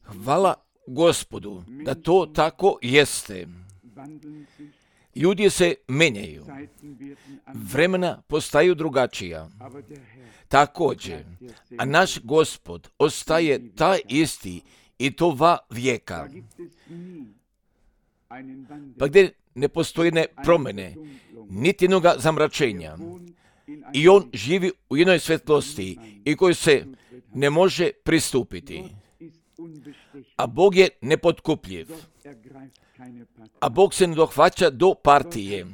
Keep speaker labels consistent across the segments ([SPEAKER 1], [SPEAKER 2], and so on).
[SPEAKER 1] Hvala Gospodu da to tako jeste. Ljudi se menjaju, vremena postaju drugačija. Također, a naš Gospod ostaje taj isti i to va vijeka. Pa gdje ne postoji ne promjene, niti jednoga zamračenja. I on živi u jednoj svjetlosti i koju se ne može pristupiti. A Bog je nepotkupljiv. A Bog se ne dohvaća do partije.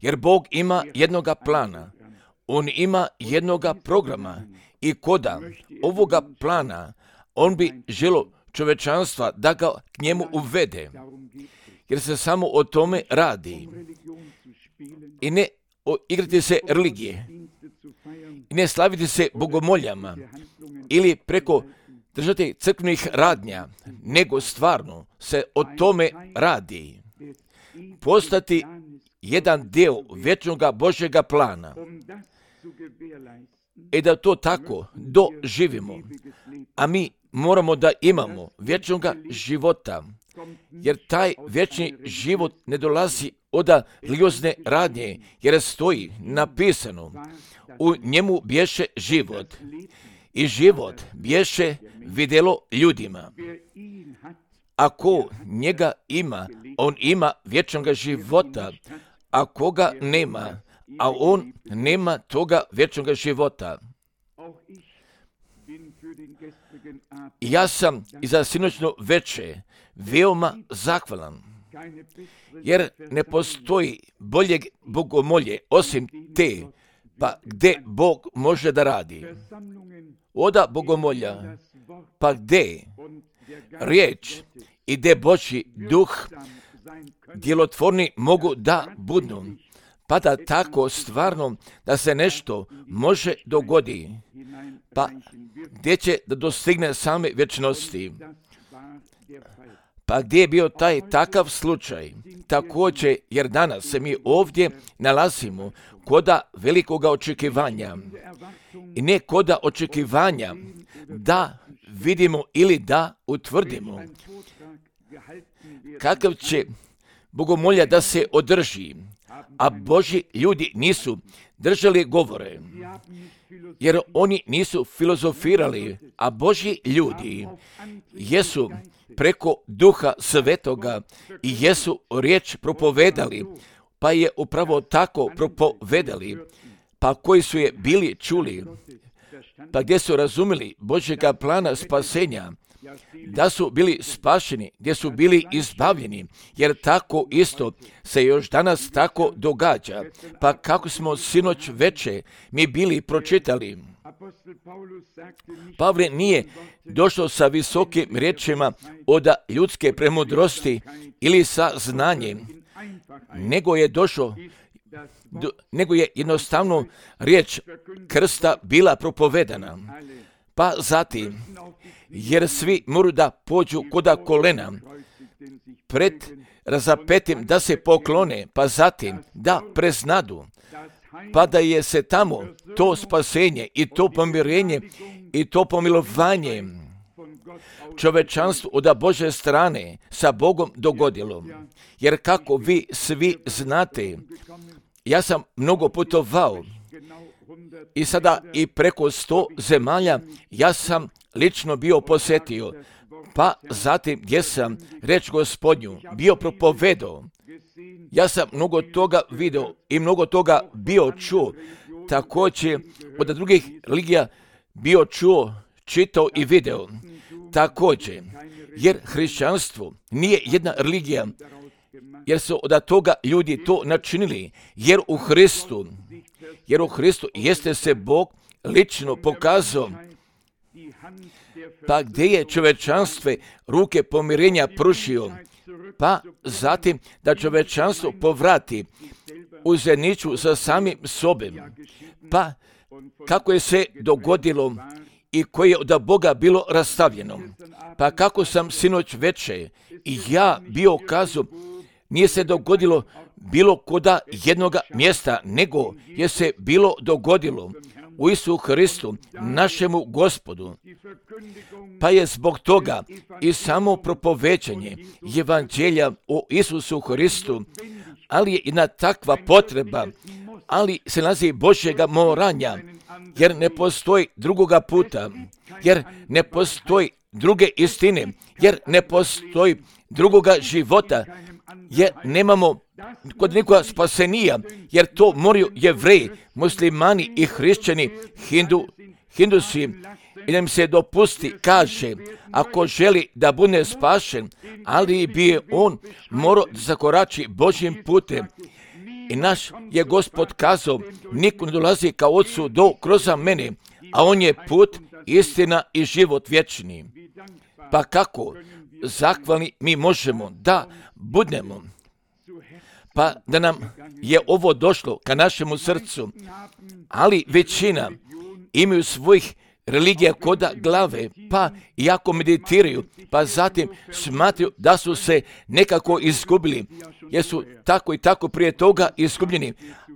[SPEAKER 1] Jer Bog ima jednoga plana. On ima jednoga programa. I koda ovoga plana, on bi želio čovečanstva da ga k njemu uvede. Jer se samo o tome radi. I ne igrati se religije. I ne slaviti se bogomoljama. Ili preko držati crkvenih radnja. Nego stvarno se o tome radi. Postati jedan dio vječnoga Božjega plana. I da to tako doživimo. A mi moramo da imamo vječnoga života. Jer taj vječni život ne dolazi od religiozne radnje, jer stoji napisano, u njemu bješe život. I život bješe vidjelo ljudima. Ako njega ima, on ima vječnoga života. A koga nema, a on nema toga vječnoga života. Ja sam i za sinoćno veče veoma zahvalan, jer ne postoji boljeg bogomolje osim te, pa gdje Bog može da radi. Oda bogomolja, pa gdje riječ i gdje Božji duh djelotvorni mogu da budu, pa da tako stvarno da se nešto može dogodi, pa gdje će da dostigne same vječnosti. Pa gdje je bio taj takav slučaj? Također, jer danas se mi ovdje nalazimo koda velikoga očekivanja. I ne koda očekivanja da vidimo ili da utvrdimo kakav će bogomolja da se održi, a Božji ljudi nisu držali govore, jer oni nisu filozofirali, a Božji ljudi jesu preko Duha Svetoga i jesu riječ propovedali, pa je upravo tako propovedali, pa koji su je bili čuli, pa gdje su razumjeli Božjega plana spasenja, da su bili spašeni, gdje su bili izbavljeni, jer tako isto se još danas tako događa. Pa kako smo sinoć veče mi bili pročitali, Pavle nije došao sa visokim riječima od ljudske premudrosti ili sa znanjem, nego je jednostavno riječ krsta bila propovedana. Pa zatim, jer svi moraju da pođu koda kolena pred razapetim da se poklone, pa zatim da preznadu, pa da je se tamo to spasenje i to pomirenje i to pomilovanje čovečanstvu od Božje strane sa Bogom dogodilo. Jer kako vi svi znate, ja sam mnogo putovao i sada i preko 100 zemalja ja sam lično bio posjetio, pa zatim gdje sam reč Gospodnju bio propovedao. Ja sam mnogo toga vidio i mnogo toga bio čuo, također od drugih religija bio čuo, čitao i video. Također, jer hrišćanstvo nije jedna religija, jer su od toga ljudi to načinili, jer u Hristu jeste se Bog lično pokazao, pa gdje je čovečanstvo ruke pomirenja pružio, pa zatim da čovečanstvo povrati u zajedništvu sa samim sobom. Pa kako je se dogodilo i koje je od Boga bilo rastavljeno. Pa kako sam sinoć veče i ja bio kazao, nije se dogodilo bilo koda jednoga mjesta, nego je se bilo dogodilo u Isusu Hristu, našemu Gospodu. Pa je zbog toga i samo propoveđanje evanđelja o Isusu Hristu, ali je jedna takva potreba, ali se nalazi Božjega moranja, jer ne postoji drugoga puta, jer ne postoji druge istine, jer ne postoji drugoga života, jer nemamo kod nikoga spasenija, jer to moraju Jevreji, muslimani i hrišćani, hindusi, i da im se dopusti, kaže, ako želi da bude spašen, ali bi on morao da zakorači Božjim putem. I naš je Gospod kazao, niko ne dolazi kao Otcu do kroz mene, a on je put, istina i život vječni. Pa kako zahvalni mi možemo da budemo? Pa da nam je ovo došlo ka našemu srcu, ali većina imaju svojih religija koda glave, pa iako meditiraju, pa zatim smatraju da su se nekako izgubili, jer su tako i tako prije toga izgubljeni,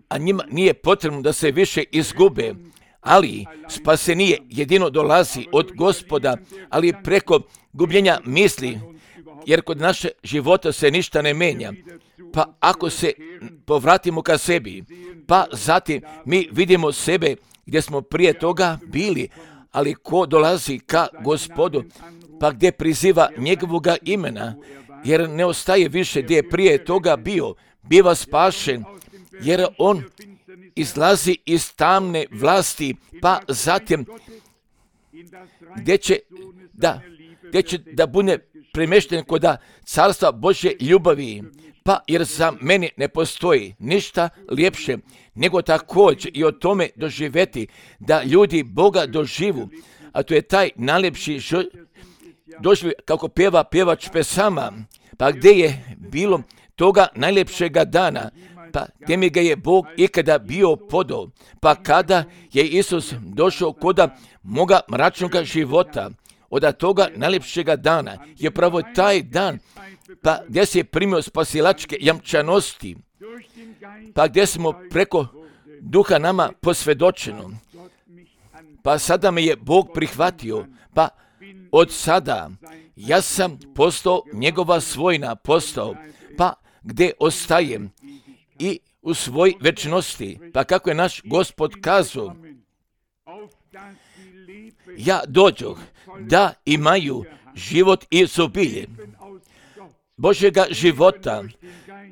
[SPEAKER 1] a njima nije potrebno da se više izgube. Ali spasenije jedino dolazi od Gospoda, ali preko gubljenja misli, jer kod naše života se ništa ne menja. Pa ako se povratimo ka sebi, pa zatim mi vidimo sebe gdje smo prije toga bili, ali ko dolazi ka Gospodu, pa gdje priziva njegovoga imena, jer ne ostaje više gdje je prije toga bio, biva spašen, jer on izlazi iz tamne vlasti, pa zatim gdje će da bude premješten kod carstva Božje ljubavi. Pa jer za mene ne postoji ništa ljepše nego također i o tome doživjeti da ljudi Boga doživu, a to je taj najljepši doživ kako pjeva pjevač pesama. Pa gdje je bilo toga najljepšega dana, pa gdje mi ga je Bog ikada bio podao, pa kada je Isus došao koda moga mračnoga života, od toga najljepšega dana je pravo taj dan, pa gdje se je primio spasilačke jamčanosti, pa gdje smo preko duha nama posvjedočeno, pa sada me je Bog prihvatio, pa od sada ja sam postao njegova svojina, pa gdje ostajem i u svoj večnosti, pa kako je naš Gospod kazao, ja dođoh da imaju život i izobilje Božjega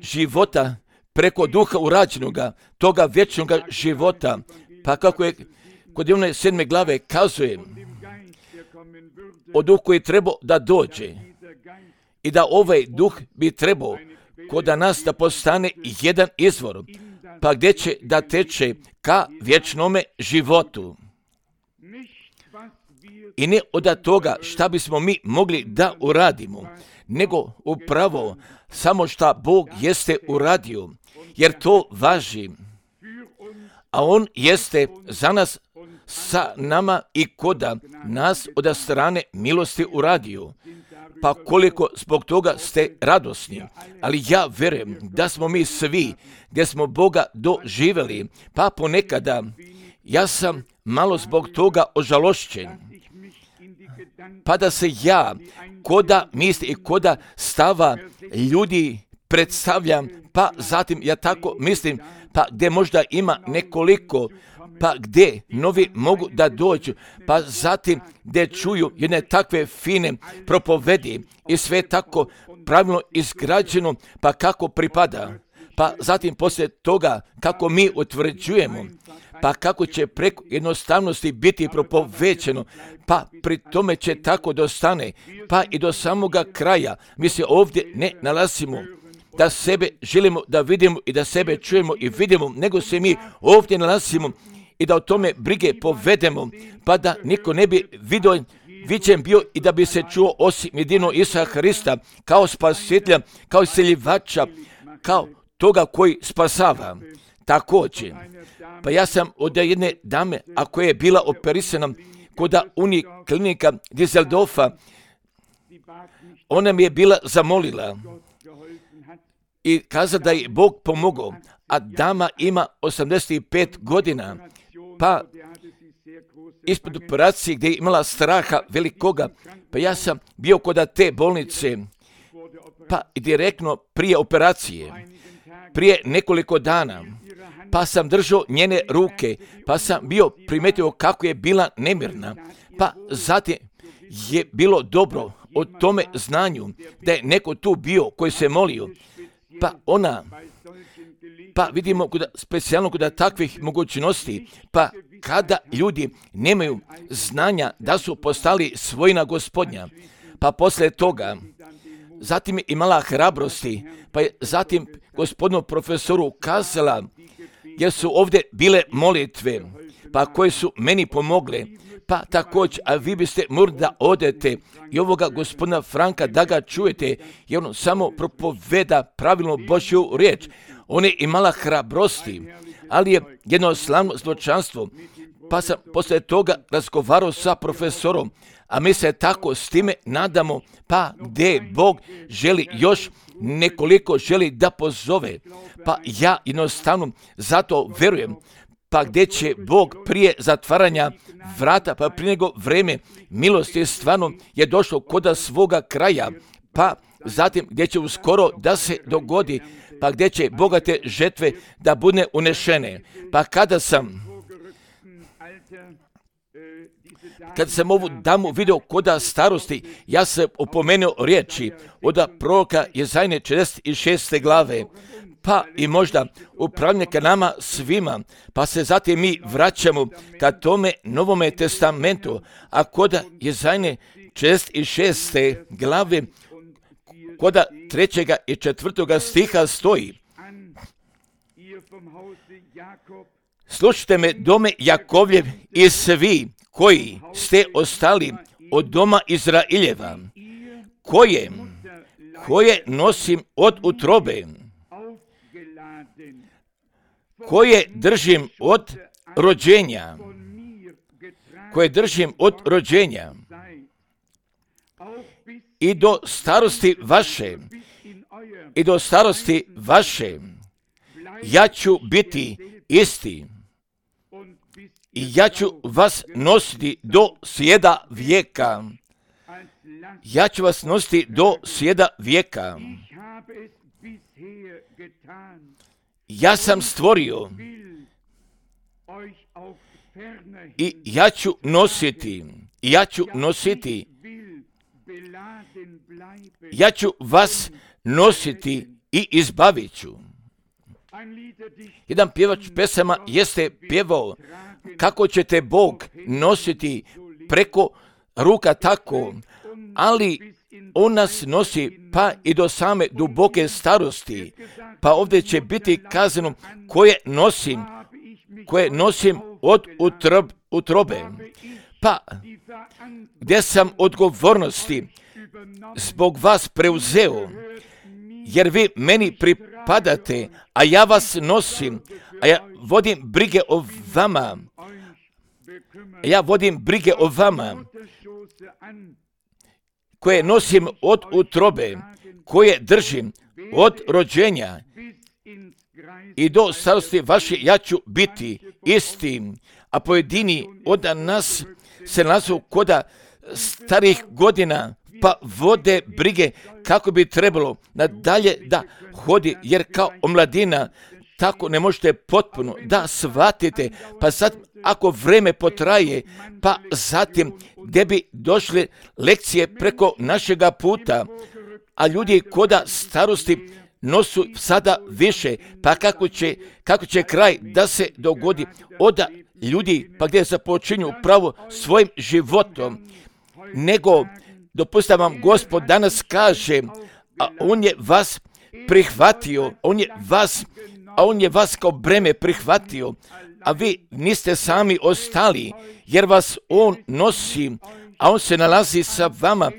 [SPEAKER 1] života preko duha urađenoga, toga vječnoga života, pa kako je kod one 7. glave kazuje o duhu koji trebao da dođe i da ovaj duh bi trebao kod nas da postane jedan izvor, pa gdje će da teče ka vječnome životu. I ne od toga šta bismo mi mogli da uradimo, nego upravo samo šta Bog jeste uradio, jer to važi. A On jeste za nas, sa nama i koda nas od strane milosti uradio. Pa koliko zbog toga ste radosni, ali ja vjerujem da smo mi svi gdje smo Boga doživjeli, pa ponekada ja sam malo zbog toga ožalošćen. Pa da se ja koda misli i koda stava ljudi predstavljam, pa zatim ja tako mislim, pa gdje možda ima nekoliko, pa gdje novi mogu da dođu, pa zatim gdje čuju jedne takve fine propovedi i sve tako pravilno izgrađeno, pa kako pripada. Pa zatim poslije toga kako mi utvrđujemo, pa kako će preko jednostavnosti biti propovećeno, pa pri tome će tako dostane, pa i do samoga kraja. Mi se ovdje ne nalazimo da sebe želimo da vidimo i da sebe čujemo i vidimo, nego se mi ovdje nalazimo i da o tome brige povedemo, pa da niko ne bi viđen bio i da bi se čuo osim jedino Isusa Hrista kao spasitelja, kao isceljivača, kao toga koji spasava. Također, pa ja sam od jedne dame, a koja je bila operisana kod Uniklinika Düsseldorfa, ona mi je bila zamolila i kazala da je Bog pomogao, a dama ima 85 godina, pa ispred operacije gdje je imala straha velikoga, pa ja sam bio kod te bolnice, pa direktno prije operacije, prije nekoliko dana, pa sam držao njene ruke, pa sam bio primetio kako je bila nemirna, pa zatim je bilo dobro o tome znanju da je neko tu bio koji se molio, pa vidimo specijalno kod takvih mogućnosti, pa kada ljudi nemaju znanja da su postali svojina Gospodnja, pa poslije toga zatim je imala hrabrosti, pa je zatim gospodinu profesoru kazala, jer su ovdje bile molitve, pa koje su meni pomogle, pa također, a vi biste morali da odete i ovoga gospodina Franka da ga čujete, jer on samo propoveda pravilno Božju riječ. On je imala hrabrosti, ali je jedno slavno zločanstvo, pa sam poslije toga razgovarao sa profesorom, a mi se tako s time nadamo, pa gdje Bog želi još nekoliko želi da pozove, pa ja jednostavno zato verujem, pa gdje će Bog prije zatvaranja vrata, pa prije nego vreme milosti stvarno je došlo kod svoga kraja, pa zatim gdje će uskoro da se dogodi, pa gdje će bogate žetve da bude unešene. Pa kada sam ovu damu vidio koda starosti, ja sam opomenuo riječi od proroka Jezajne 46. glave, pa i možda upravljanje ka nama svima, pa se zatim mi vraćamo ka tome Novome testamentu, a kod Jezajne 46. glave, kod 3. i 4. stiha stoji: slušajte me, dome Jakovljev, i svi koji ste ostali od doma Izraeljeva, koje nosim od utrobe, koje držim od rođenja, i do starosti vaše, ja ću biti isti i ja ću vas nositi do sjeda vijeka. Ja ću vas nositi do sjeda vijeka. Ja sam stvorio i ja ću vas nositi i izbavit ću. Jedan pjevač pesama jeste pjevao kako ćete Bog nositi preko ruka tako, ali on nas nosi pa i do same duboke starosti. Pa ovdje će biti kazano koje nosim od utrobe. Pa gdje sam odgovornosti zbog vas preuzeo, jer vi meni pripadate, a ja vas nosim, a ja vodim brige o vama, koje nosim od utrobe, koje držim od rođenja i do starosti vaše, ja ću biti isti. A pojedini od nas se nalazu koda starih godina, pa vode brige kako bi trebalo nadalje da hodi, jer kao omladina tako ne možete potpuno da shvatite, pa sad ako vreme potraje, pa zatim gdje bi došle lekcije preko našega puta, a ljudi koda starosti nosu sada više, pa kako će kraj da se dogodi od ljudi, pa gdje započinju pravo svojim životom, nego dopustite vam Gospod danas kaže, a on je vas prihvatio, on je vas kao breme prihvatio, a vi niste sami ostali, jer vas on nosi, a on se nalazi sa vama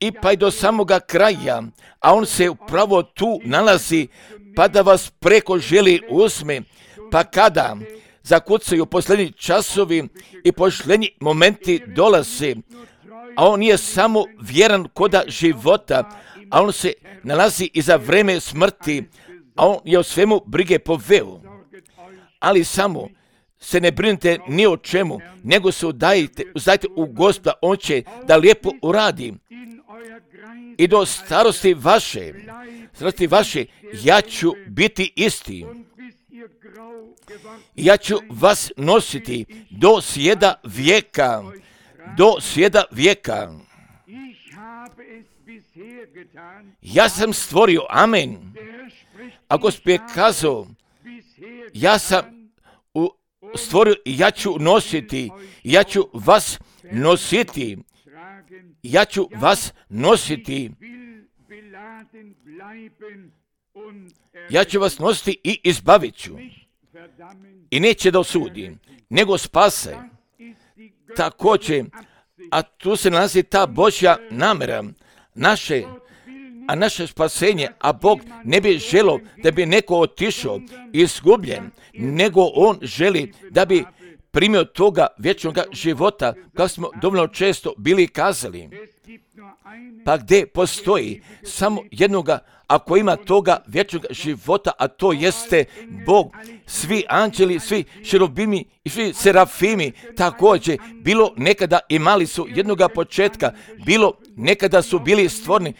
[SPEAKER 1] i pa i do samoga kraja, a on se upravo tu nalazi, pa da vas preko želi uzme, pa kada zakucaju posljednji časovi i posljednji momenti dolaze, a on nije samo vjeran koda života, a on se nalazi i za vreme smrti, a on je o svemu brige poveo. Ali samo se ne brinite ni o čemu, nego se udajte u Gospoda, on će da lijepo uradi. I do starosti vaše, ja ću biti isti. Ja ću vas nositi do svijeda vijeka. Ja sam stvorio, amen. A Gospod je kazao, ja sam stvorio i ja ću nositi, ja ću vas nositi. Ja ću vas nositi. Ja ću vas nositi i izbavit ću. I neće da osudi, nego spase. Također, a tu se nalazi ta Božja namjera, naše spasenje, a Bog ne bi želio da bi neko otišao izgubljen, nego On želi da bi primio toga vječnog života, kao smo dovoljno često bili kazali. Pa gdje postoji samo jednoga, ako ima toga vječnog života, a to jeste Bog, svi anđeli, svi šerubimi i svi serafimi također, bilo nekada imali su jednoga početka, bilo nekada su bili stvoreni,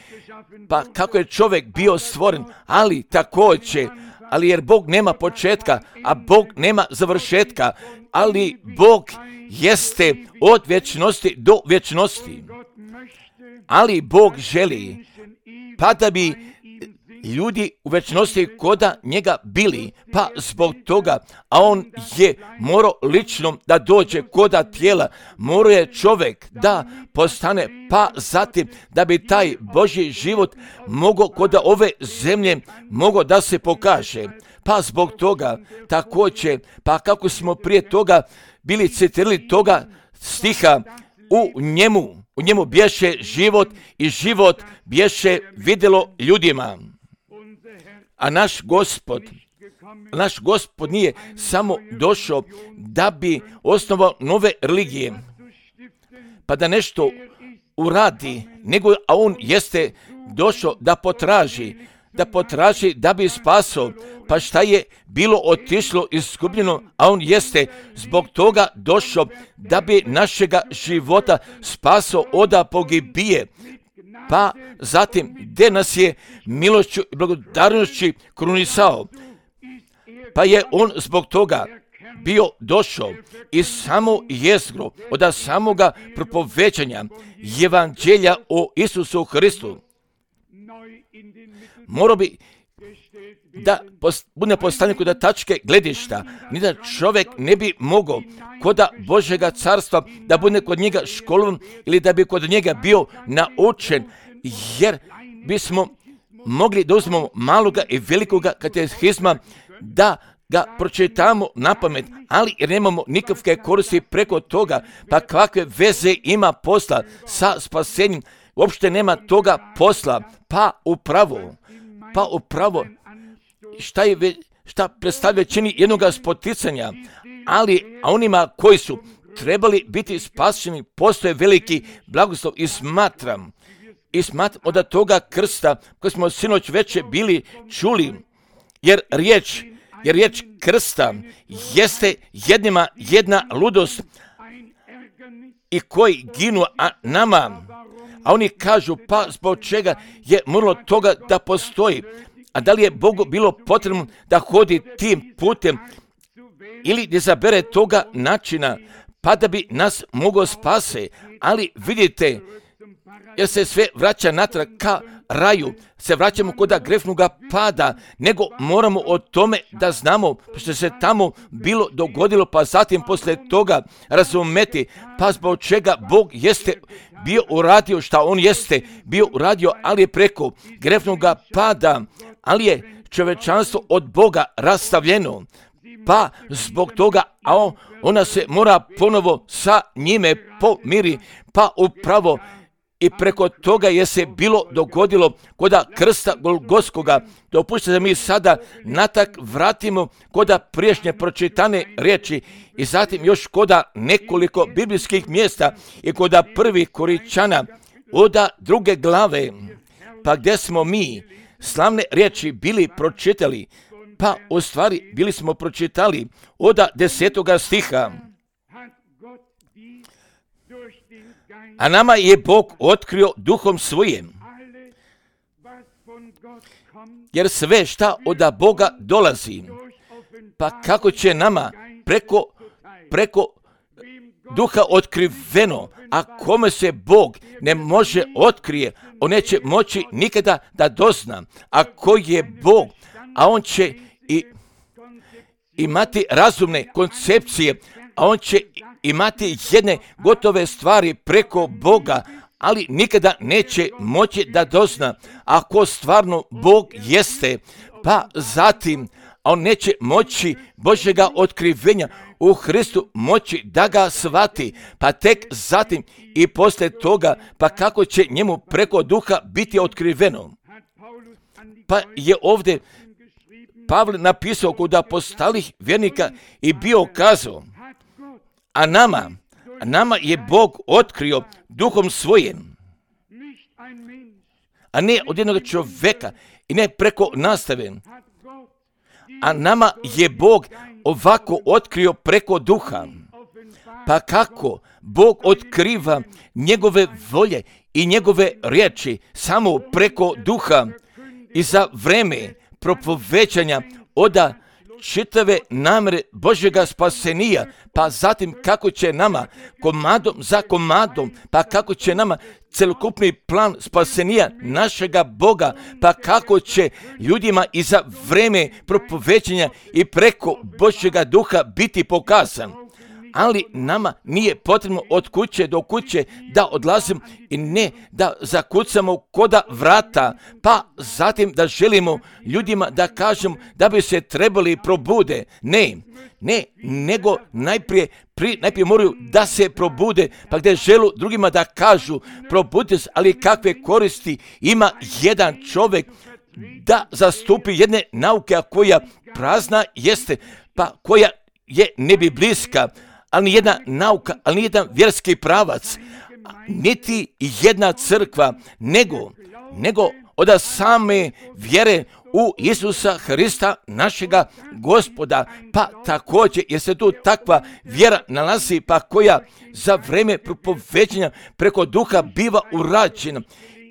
[SPEAKER 1] pa kako je čovjek bio stvoren, ali također, ali jer Bog nema početka, a Bog nema završetka, ali Bog jeste od vječnosti do vječnosti. Ali Bog želi, pa da bi ljudi u vječnosti koda njega bili, pa zbog toga, a on je morao lično da dođe koda tijela, morao je čovjek da postane, pa zatim da bi taj Božji život mogao koda ove zemlje mogao da se pokaže. Pa zbog toga također, pa kako smo prije toga bili citirali toga stiha, u njemu bješe život i život bješe vidjelo ljudima. A naš Gospod nije samo došao da bi osnovao nove religije, pa da nešto uradi, nego a on jeste došao da potraži da bi spasao. Pa šta je bilo otišlo izgubljeno, a on jeste zbog toga došao da bi našega života spasao od pogibije. Pa zatim gdje nas je milošću i благодарnošću krunisao. Pa je on zbog toga bio došao iz samo jezgro, od samoga propovećanja evanđelja o Isusu Hristu. Morao bi da bude postavljen kod tačke gledišta, ni da čovjek ne bi mogao kod Božjega carstva da bude kod njega školovan ili da bi kod njega bio naučen, jer bismo mogli da uzmemo maloga i velikoga katehizma da ga pročitamo na pamet, ali jer nemamo nikakve koristi preko toga, pa kakve veze ima posla sa spasenjem, uopšte nema toga posla, pa upravo šta predstavlja čini jednoga spoticanja, ali onima koji su trebali biti spašeni postoje veliki blagoslov i smatram od toga krsta koji smo sinoć već bili čuli, jer riječ krsta jeste jednima jedna ludost i koji ginu nama, a oni kažu pa zbog čega je moralo toga da postoji. A da li je Bogu bilo potrebno da hodi tim putem ili da zabere toga načina pa da bi nas mogao spase? Ali vidite, jer se sve vraća natrag ka raju, se vraćamo kod grefnoga pada, nego moramo o tome da znamo što se tamo bilo dogodilo, pa zatim poslije toga razumeti, pa zbog čega Bog jeste bio uradio šta on jeste bio uradio, ali je preko grefnoga pada, ali je čovečanstvo od Boga rastavljeno, pa zbog toga, a ona se mora ponovo sa njime pomiri, pa upravo i preko toga je se bilo dogodilo koda krsta Golgotskoga. Dopustite da mi sada natak vratimo koda priješnje pročitane riječi i zatim još koda nekoliko biblijskih mjesta i koda 1. Koričana od 2. glave, pa gdje smo mi slavne riječi bili pročitali, Pa u stvari bili smo pročitali od 10. stiha. A nama je Bog otkrio duhom svojim. Jer sve šta od Boga dolazi, pa kako će nama preko duha otkriveno, a kome se Bog ne može otkrije, on neće moći nikada da dozna. A ko je Bog, a on će imati razumne koncepcije, a on će imati jedne gotove stvari preko Boga, ali nikada neće moći da dozna ako stvarno Bog jeste, pa zatim on neće moći Božjega otkrivenja u Hristu moći da ga shvati, pa tek zatim i poslije toga, pa kako će njemu preko duha biti otkriveno. Pa je ovdje Pavle napisao kod apostolskih vjernika i bio kazao, a nama je Bog otkrio duhom svojim, a ne od jednog čovjeka i ne preko nastave. A nama je Bog ovako otkrio preko duha. Pa kako Bog otkriva njegove volje i njegove riječi samo preko duha i za vreme propovećanja od čitave namere Božjega spasenija, pa zatim kako će nama komadom za komadom, pa kako će nama celokupni plan spasenija našega Boga, pa kako će ljudima i za vreme propovećanja i preko Božjega duha biti pokazan. Ali nama nije potrebno od kuće do kuće da odlazimo i ne da zakucamo koda vrata, pa zatim da želimo ljudima da kažemo da bi se trebali probude. Ne, nego najprije moraju da se probude, pa gdje želu drugima da kažu probudite se, ali kakve koristi ima jedan čovjek da zastupi jedne nauke, a koja prazna jeste, pa koja je nebiblijska, ali nijedna nauka, ali nijedan vjerski pravac, niti jedna crkva, nego od same vjere u Isusa Hrista, našega Gospoda, pa također, jer se tu takva vjera nalazi, pa koja za vreme propovećanja preko duha biva urađena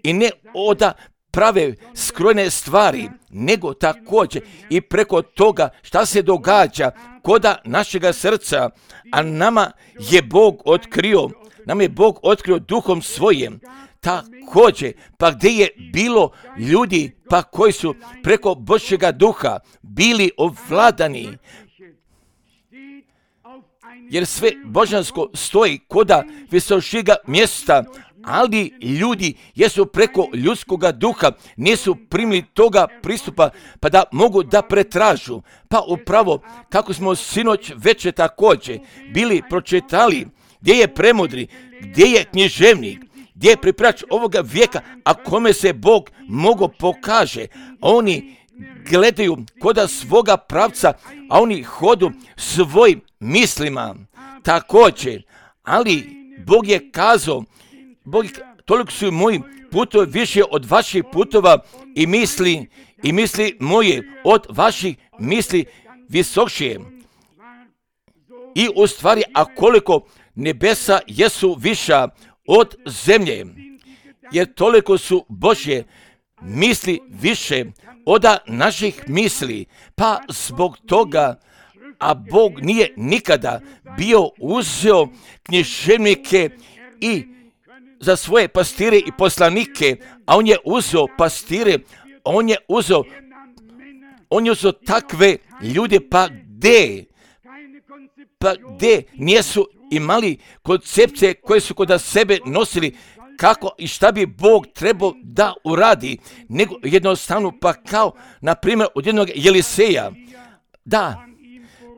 [SPEAKER 1] i ne od prave skrojene stvari, nego također i preko toga šta se događa koda našega srca, a nama je Bog otkrio duhom svojim. Također, pa gdje je bilo ljudi, pa koji su preko Božjega duha bili ovladani, jer sve božansko stoji koda visošega mjesta, ali ljudi jesu preko ljudskoga duha nisu primili toga pristupa pa da mogu da pretražu. Pa upravo kako smo sinoć večer također bili pročitali gdje je premudri, gdje je književnik, gdje je priprač ovoga vijeka, a kome se Bog mogo pokaže. Oni gledaju koda svoga pravca, a oni hodu svojim mislima također. Ali Bog je kazao, toliko su moji putovi više od vaših putova i misli moje od vaših misli visokšije. I u stvari, a koliko nebesa jesu viša od zemlje, jer toliko su Božje misli više od naših misli, pa zbog toga, a Bog nije nikada bio uzeo književnike i za svoje pastire i poslanike, a on je uzeo pastire, on je uzeo takve ljude, pa gdje nisu imali koncepcije koje su kod sebe nosili kako i šta bi Bog trebao da uradi, nego jednostavno pa kao, na primjer, od jednog Eliseja, da,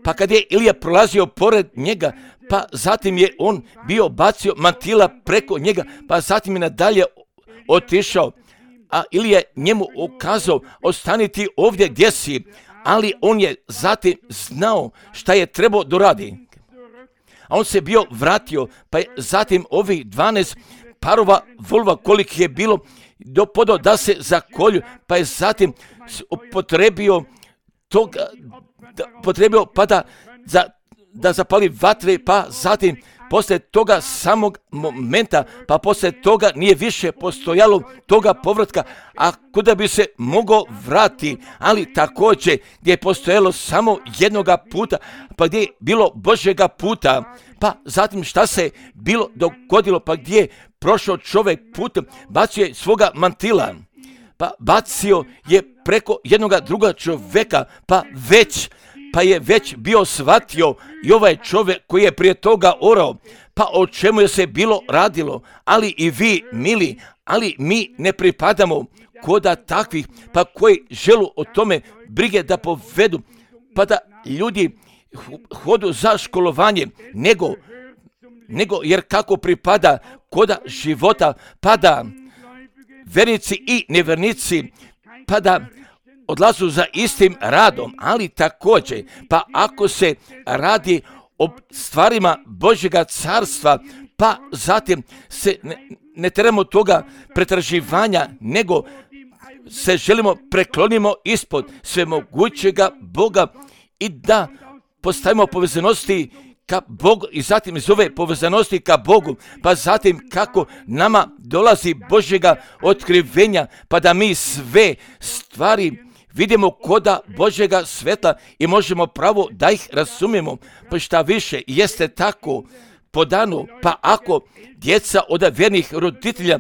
[SPEAKER 1] pa kad je Ilija prolazio pored njega, pa zatim je on bio bacio mantila preko njega, pa zatim je nadalje otišao, a Ilija njemu ukazao, ostani ti ovdje gdje si, ali on je zatim znao šta je trebao doradi. A on se bio vratio, pa je zatim ovih 12 parova volova koliko je bilo dopodo da se zakolju, pa je zatim upotrebio toga potrebio pa da zapali vatre, pa zatim poslije toga samog momenta, pa poslije toga nije više postojalo toga povratka, a kuda bi se mogao vratiti, ali također gdje je postojalo samo jednoga puta, pa gdje je bilo Božjega puta, pa zatim šta se bilo dogodilo, pa gdje je prošao čovjek putem, bacio je svoga mantila, pa bacio je preko jednoga druga čovjeka, pa je već bio shvatio i ovaj čovjek koji je prije toga orao, pa o čemu je se bilo radilo, ali i vi, mili, ali mi ne pripadamo koda takvih, pa koji želu o tome brige da povedu, pa da ljudi hodu za školovanje, nego jer kako pripada koda života, pa da vernici i nevernici, pa da odlazu za istim radom, ali također, pa ako se radi o stvarima Božjega carstva, pa zatim se ne trebamo toga pretraživanja, nego se želimo preklonimo ispod svemogućega Boga i da postavimo povezanosti ka Bogu i zatim iz ove povezanosti ka Bogu, pa zatim kako nama dolazi Božjega otkrivenja, pa da mi sve stvari vidimo koda Božjega svetla i možemo pravo da ih razumijemo, pa šta više jeste tako po danu, pa ako djeca od vjernih roditelja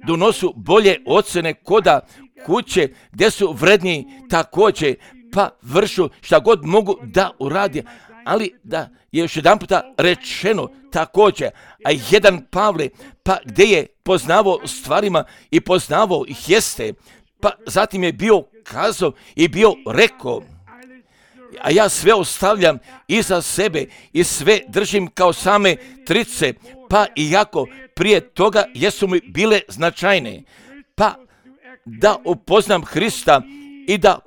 [SPEAKER 1] donosu bolje ocjene koda kuće gdje su vredniji također, pa vršu šta god mogu da uradi, ali da je još jedan puta rečeno također, a jedan Pavle, pa gdje je poznavao stvarima i poznavao ih jeste, pa zatim je bio kazao i bio rekao, a ja sve ostavljam iza sebe i sve držim kao same trice, pa iako prije toga jesu mi bile značajne, pa da upoznam Hrista i da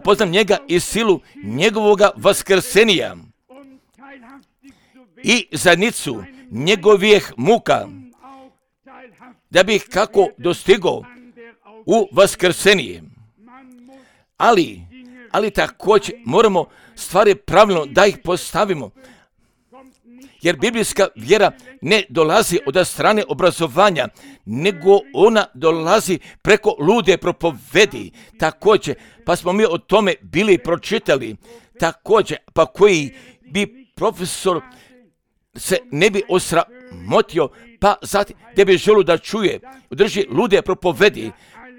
[SPEAKER 1] poznam njega i silu njegovoga vaskrsenija i zajednicu njegovih muka, da bih kako dostigao u vaskrsenije. Ali također moramo stvari pravilno da ih postavimo, jer biblijska vjera ne dolazi od strane obrazovanja, nego ona dolazi preko lude propovedi. Također, pa smo mi o tome bili pročitali, također, pa koji bi profesor se ne bi osramotio, pa zatim gdje bi želio da čuje, drži lude propovedi,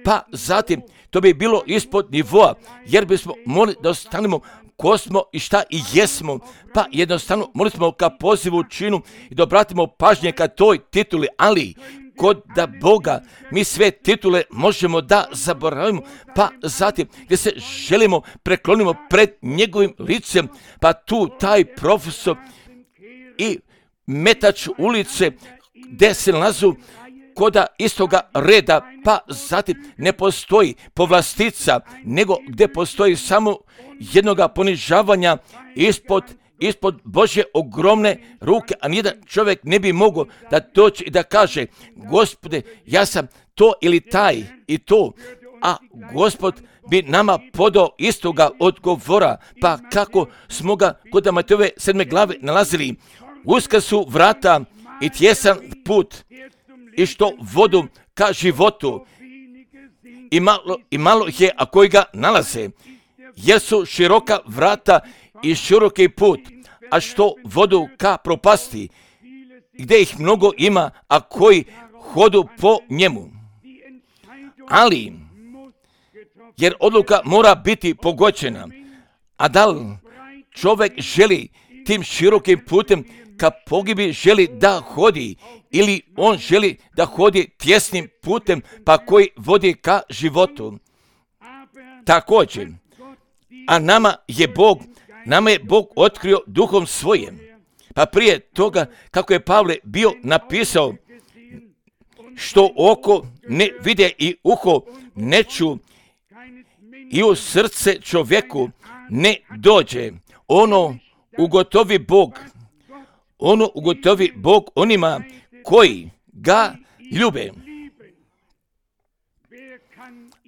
[SPEAKER 1] pa zatim to bi bilo ispod nivoa, jer bismo morali da ostanemo ko smo i šta i jesmo, pa jednostavno morali smo ka pozivu činu i da obratimo pažnje ka toj tituli, ali kod da Boga mi sve titule možemo da zaboravimo, pa zatim gdje se želimo preklonimo pred njegovim licem, pa tu taj profesor i metač ulice gdje se nalazu koda istoga reda, pa zatim ne postoji povlastica, nego gdje postoji samo jednoga ponižavanja ispod Božje ogromne ruke, a nijedan čovjek ne bi mogao da doći i da kaže, Gospode, ja sam to ili taj i to, a Gospod bi nama podao istoga odgovora, pa kako smo ga kod Matejove 7. glave nalazili, uska su vrata i tjesan put, i što vodu ka životu, i malo je, a koji ga nalaze, jer su široka vrata i široki put, a što vodu ka propasti, gdje ih mnogo ima, a koji hodu po njemu. Ali, jer odluka mora biti pogođena, a da li čovjek želi tim širokim putem ka pogibi želi da hodi, ili on želi da hodi tjesnim putem, pa koji vodi ka životu. Također, a nama je Bog otkrio duhom svojim. Pa prije toga, kako je Pavle bio napisao, što oko ne vide i uho ne ču i u srce čovjeku ne dođe, ono ugotovi Bog onima koji ga ljube.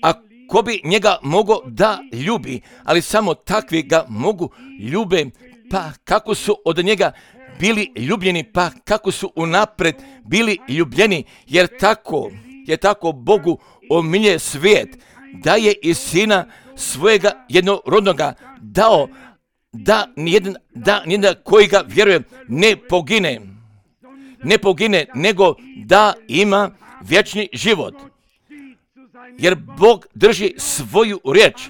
[SPEAKER 1] A ko bi njega mogao da ljubi, ali samo takvi ga mogu ljube, pa kako su od njega bili ljubljeni, pa kako su unapred bili ljubljeni, jer tako Bogu omilje svijet, da je i sina svojega jednorodnoga dao, da nijedan koji ga vjeruje ne pogine, nego da ima vječni život. Jer Bog drži svoju riječ,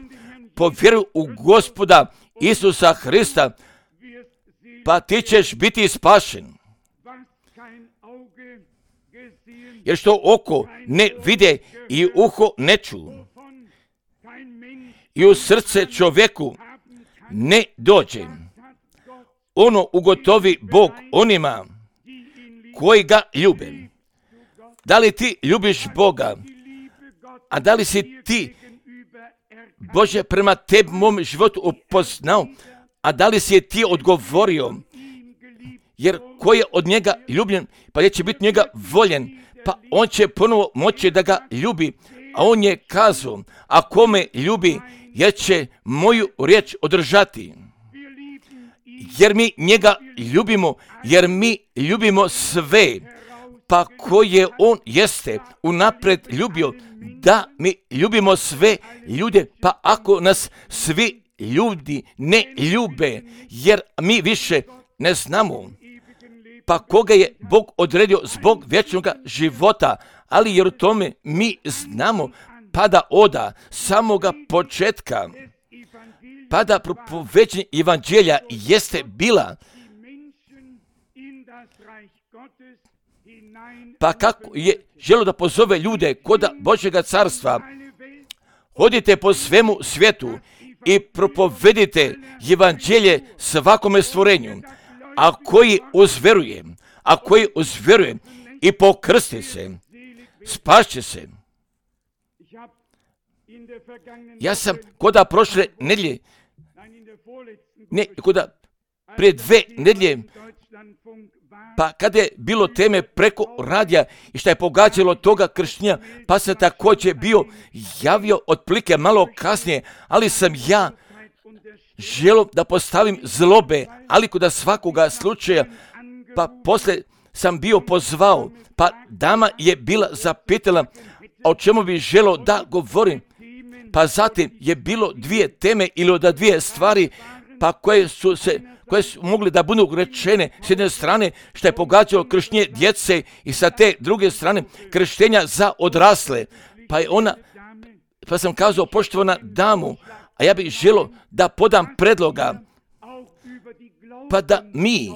[SPEAKER 1] po vjeru u Gospoda Isusa Hrista, pa ti ćeš biti spašen. Jer što oko ne vide i uho ne ču, i u srce čovjeku ne dođe, ono ugotovi Bog onima koji ga ljube. Da li ti ljubiš Boga? A da li si ti Bože prema tebi mom životu upoznao? A da li si je ti odgovorio? Jer ko je od njega ljubljen, pa je će biti njega voljen, pa on će ponovo moći da ga ljubi. A on je kazao, a kome ljubi, jer će moju riječ održati. Jer mi njega ljubimo, jer mi ljubimo sve, pa koje on jeste unapred ljubio, da mi ljubimo sve ljude, pa ako nas svi ljudi ne ljube, jer mi više ne znamo, pa koga je Bog odredio zbog vječnog života, ali jer u tome mi znamo, pa da oda samoga početka, pa da propoveđenje evanđelja jeste bila, pa kako je želo da pozove ljude kod Božjega carstva, hodite po svemu svijetu i propovedite evanđelje svakome stvorenju, a koji uzveruje i pokrsti se, spašće se. Ja sam koda prošle nedjelje, prije 2 nedjelje, pa kada je bilo teme preko radija i šta je pogađalo toga kršćenja, pa sam također bio javio otprilike malo kasnije, ali sam ja želio da postavim zlobe, ali kod svakoga slučaja, pa poslije sam bio pozvao, pa dama je bila zapitala o čemu bi želio da govorim, pa zatim je bilo 2 teme ili od 2 stvari, pa koje su mogli da budu rečene s jedne strane što je pogađalo krštenje djece i sa te druge strane krštenja za odrasle. Pa sam kazao, poštovana damu, a ja bih želio da podam predloga, pa da mi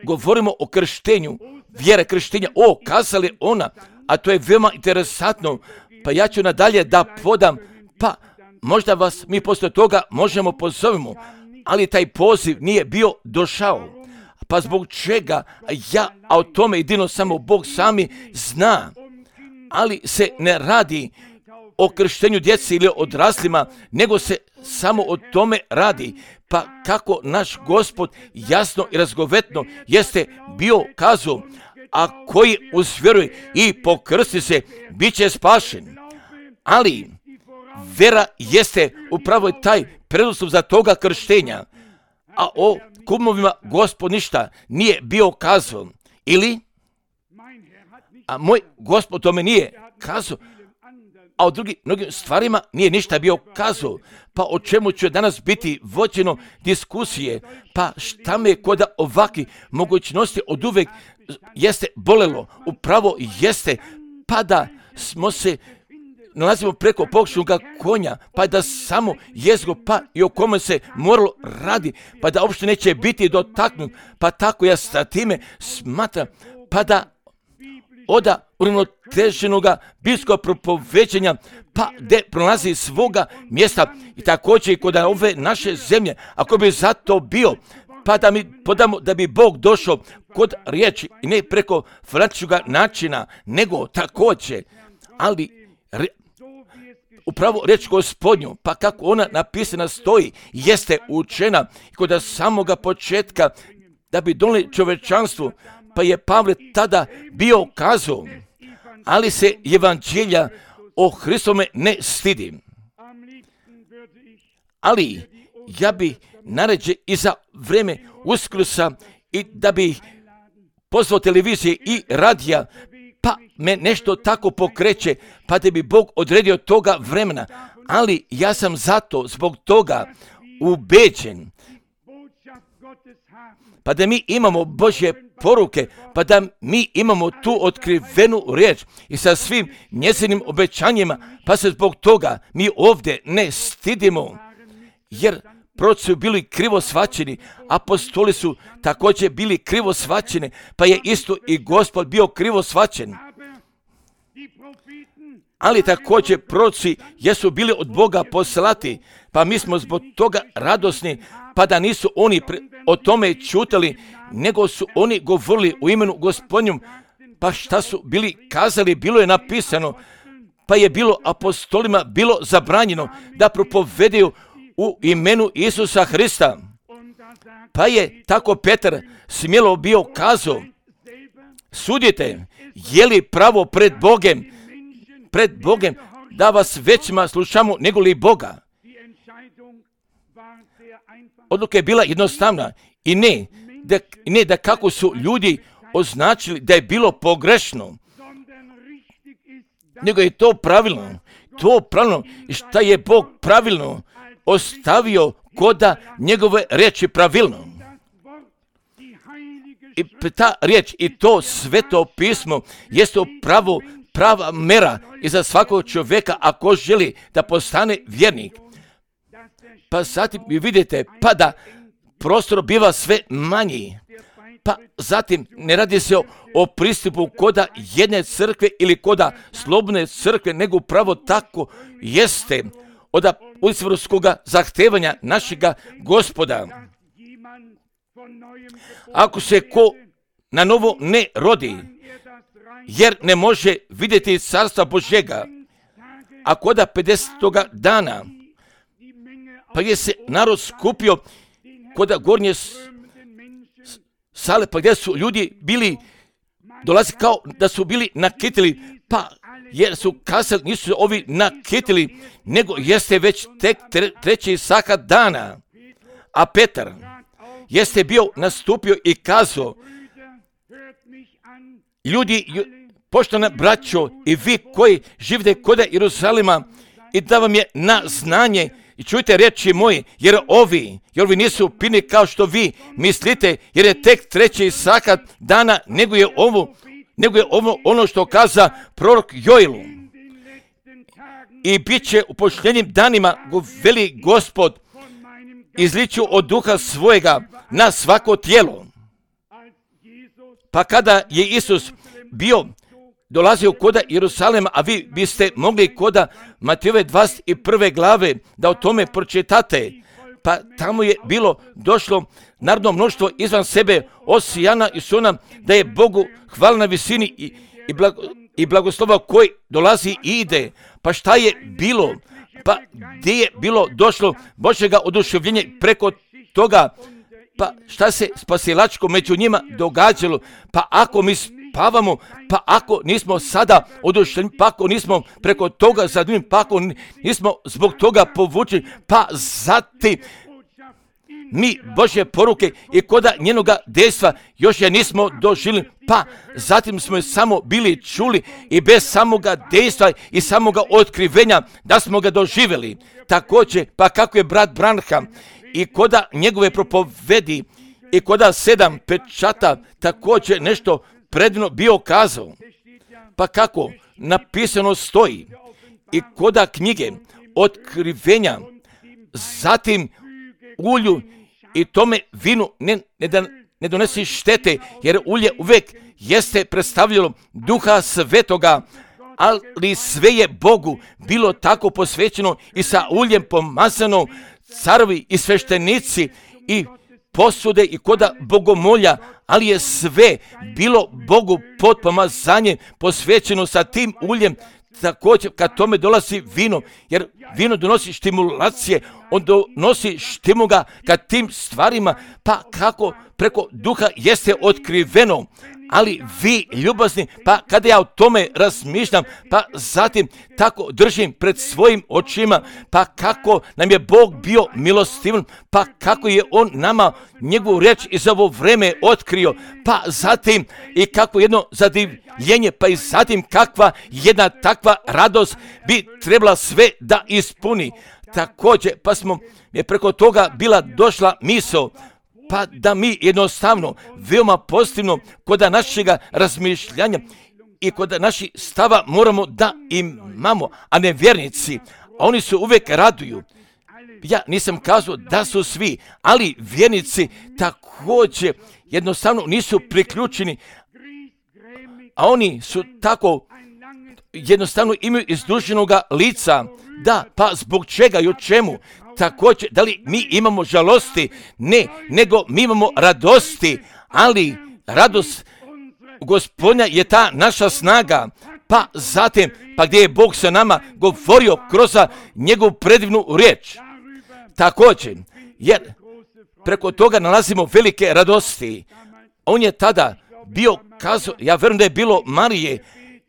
[SPEAKER 1] govorimo o krštenju, vjere krštenja, kazali ona, a to je veoma interesantno, pa ja ću nadalje da podam, pa možda vas mi poslije toga možemo pozovemo, ali taj poziv nije bio došao. Pa zbog čega a o tome jedino samo Bog sami zna, ali se ne radi o krštenju djece ili odraslima, nego se samo o tome radi. Pa kako naš Gospod jasno i razgovetno jeste bio kazao, a koji uzvjeruje i pokrsti se, bit će spašen. Ali vera jeste upravo taj preduslov za toga krštenja, a o kumovima Gospod ništa nije bio kazao. Ili, a moj Gospod tome nije kazao, a o mnogim stvarima nije ništa bio kazao. Pa o čemu će danas biti vođeno diskusije? Pa šta me kod ovakvih mogućnosti od uvek jeste bolelo? Upravo jeste, pa da smo se nalazimo preko pokšnog konja, pa da samo jezgo, pa i o kome se moralo radi, pa da uopšte neće biti dotaknut, pa tako ja sa time smatram, pa da oda uravnoteženoga biblijskog propoveđenja, pa gdje prolazi svoga mjesta i također i kod ove naše zemlje, ako bi zato bio, pa da mi podamo da bi Bog došao kod riječi i ne preko francuskog načina, nego također, ali upravo riječ Gospodnju, pa kako ona napisana stoji, jeste učena kod samoga početka da bi donijeli čovečanstvu, pa je Pavle tada bio kazao, ali se evanđelja o Hristome ne stidi. ali ja bi naređe i za vreme Uskrsa i da bi pozvao televizije i radija, pa me nešto tako pokreće, pa da bi Bog odredio toga vremena, ali ja sam zato zbog toga ubeđen, pa da mi imamo Božje poruke, pa da mi imamo tu otkrivenu riječ i sa svim njezinim obećanjima, pa se zbog toga mi ovdje ne stidimo, jer proroci su bili krivo shvaćeni, apostoli su također bili krivo shvaćeni, pa je isto i Gospod bio krivo shvaćen. Ali također proroci jesu bili od Boga poslati, pa mi smo zbog toga radosni, pa da nisu oni o tome čutali, nego su oni govorili u imenu Gospodnjom, pa šta su bili kazali, bilo je napisano, pa je bilo apostolima bilo zabranjeno da propovedaju u imenu Isusa Hrista. Pa je tako Petar smjelo bio kazao, sudite, je li pravo pred Bogem, da vas većima slušamo nego li Boga. Odluka je bila jednostavna i ne da kako su ljudi označili da je bilo pogrešno, nego je to pravilno i šta je Bog pravilno ostavio koda njegove riječi pravilno. I ta riječ i to sveto pismo jeste prava mera i za svakog čovjeka ako želi da postane vjernik. Pa zatim vi vidite, pa da prostor biva sve manji. Pa zatim ne radi se o pristupu koda jedne crkve ili koda slobodne crkve, nego upravo tako jeste od usvrskog zahtevanja našega Gospoda. Ako se ko na novo ne rodi, jer ne može vidjeti carstva Božjega, a koda 50. dana, pa je se narod skupio koda gornje sale, pa gdje su ljudi bili, dolazi kao da su bili nakitili, pa jer su kazali, nisu ovi nakitili, nego jeste već tek 3. sahat dana. A Petar jeste bio nastupio i kazao, ljudi, poštovana braćo i vi koji živite kod Jeruzalema, i da vam je na znanje i čujte riječi moje, jer ovi nisu pini kao što vi mislite, jer je tek 3. sahat dana, nego je ovo ono što kaza prorok Joilu. I bit će u posljednjim danima, veli Gospod, izliću od duha svojega na svako tijelo. Pa kada je Isus dolazio koda Jerusalema, a vi biste mogli koda Matejove 21. glave da o tome pročitate, pa tamo je bilo došlo narodno mnoštvo izvan sebe, osijana i suna, da je Bogu hvala na visini i blagoslova koji dolazi i ide. Pa šta je bilo? Pa gdje je bilo došlo Božjega oduševljenja preko toga? Pa šta se spasilačko među njima događalo? Pa ako mi spavamo, pa ako nismo sada oduševljeni, pa ako nismo preko toga zadnjim, pa ako nismo zbog toga povučeni, pa zatim mi Božje poruke i koda njenoga dejstva još je nismo doživjeli, pa zatim smo je samo bili čuli i bez samoga dejstva i samoga otkrivenja da smo ga doživjeli. Također, pa kako je brat Branham i koda njegove propovedi i koda 7 pečata također nešto predivno bio kazao. Pa kako napisano stoji i koda knjige otkrivenja, zatim ulju i tome vinu ne donesi štete, jer ulje uvijek jeste predstavljalo Duha Svetoga, ali sve je Bogu bilo tako posvećeno i sa uljem pomazano, carovi i sveštenici i posude i koda bogomolja, ali je sve bilo Bogu pod pomazanjem posvećeno sa tim uljem. Također kad tome dolazi vino, jer vino donosi stimulacije, on donosi štimuga kad tim stvarima, pa kako preko duha jeste otkriveno. ali vi ljubazni, pa kada ja o tome razmišljam, pa zatim tako držim pred svojim očima, pa kako nam je Bog bio milostivan, pa kako je On nama njegovu riječ iz ovo vreme otkrio, pa zatim i kako jedno zadivljenje, pa i zatim kakva jedna takva radost bi trebala sve da ispuni. Također, pa smo je preko toga bila došla misao, pa da mi jednostavno, veoma pozitivno, kod našega razmišljanja i kod naših stava moramo da imamo, a ne vjernici, a oni se uvijek raduju. Ja nisam kazao da su svi, ali vjernici također jednostavno nisu priključeni, a oni su tako jednostavno imaju izduženoga lica. Da, pa zbog čega i o čemu? Također, da li mi imamo žalosti? Ne, nego mi imamo radosti, ali radost Gospodnja je ta naša snaga. Pa zatim, pa gdje je Bog sa nama govorio kroz njegovu predivnu riječ. Također, jer preko toga nalazimo velike radosti. On je tada bio kazao, ja vjerujem da je bilo Marije,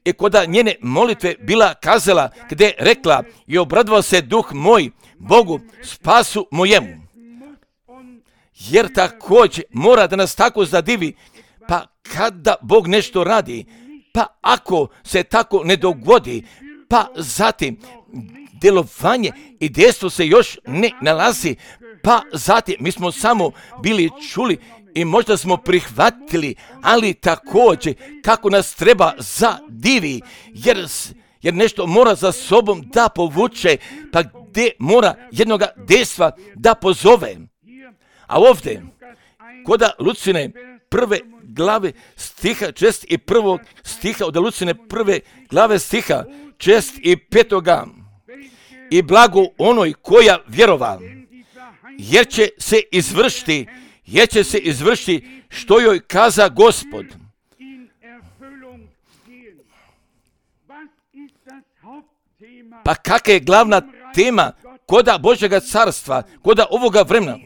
[SPEAKER 1] i kod njene molitve bila kazala, gdje je rekla, i obradovao se duh moj Bogu, spasu mojemu. Jer također mora da nas tako zadivi, pa kada Bog nešto radi, pa ako se tako ne dogodi, pa zatim djelovanje i dejstvo se još ne nalazi, pa zatim mi smo samo bili čuli i možda smo prihvatili, ali također kako nas treba zadivi, jer nešto mora za sobom da povuče, pa gdje mora jednoga dejstva da pozove. A ovdje, kod Lucine prve glave stiha 6 i prvog stiha, od Lucine prve glave stiha 6 i 5. I blago onoj koja vjerova, jer će se izvršiti što joj kaza Gospod. Pa kakva je glavna tema koda Božjega carstva, koda ovoga vremena?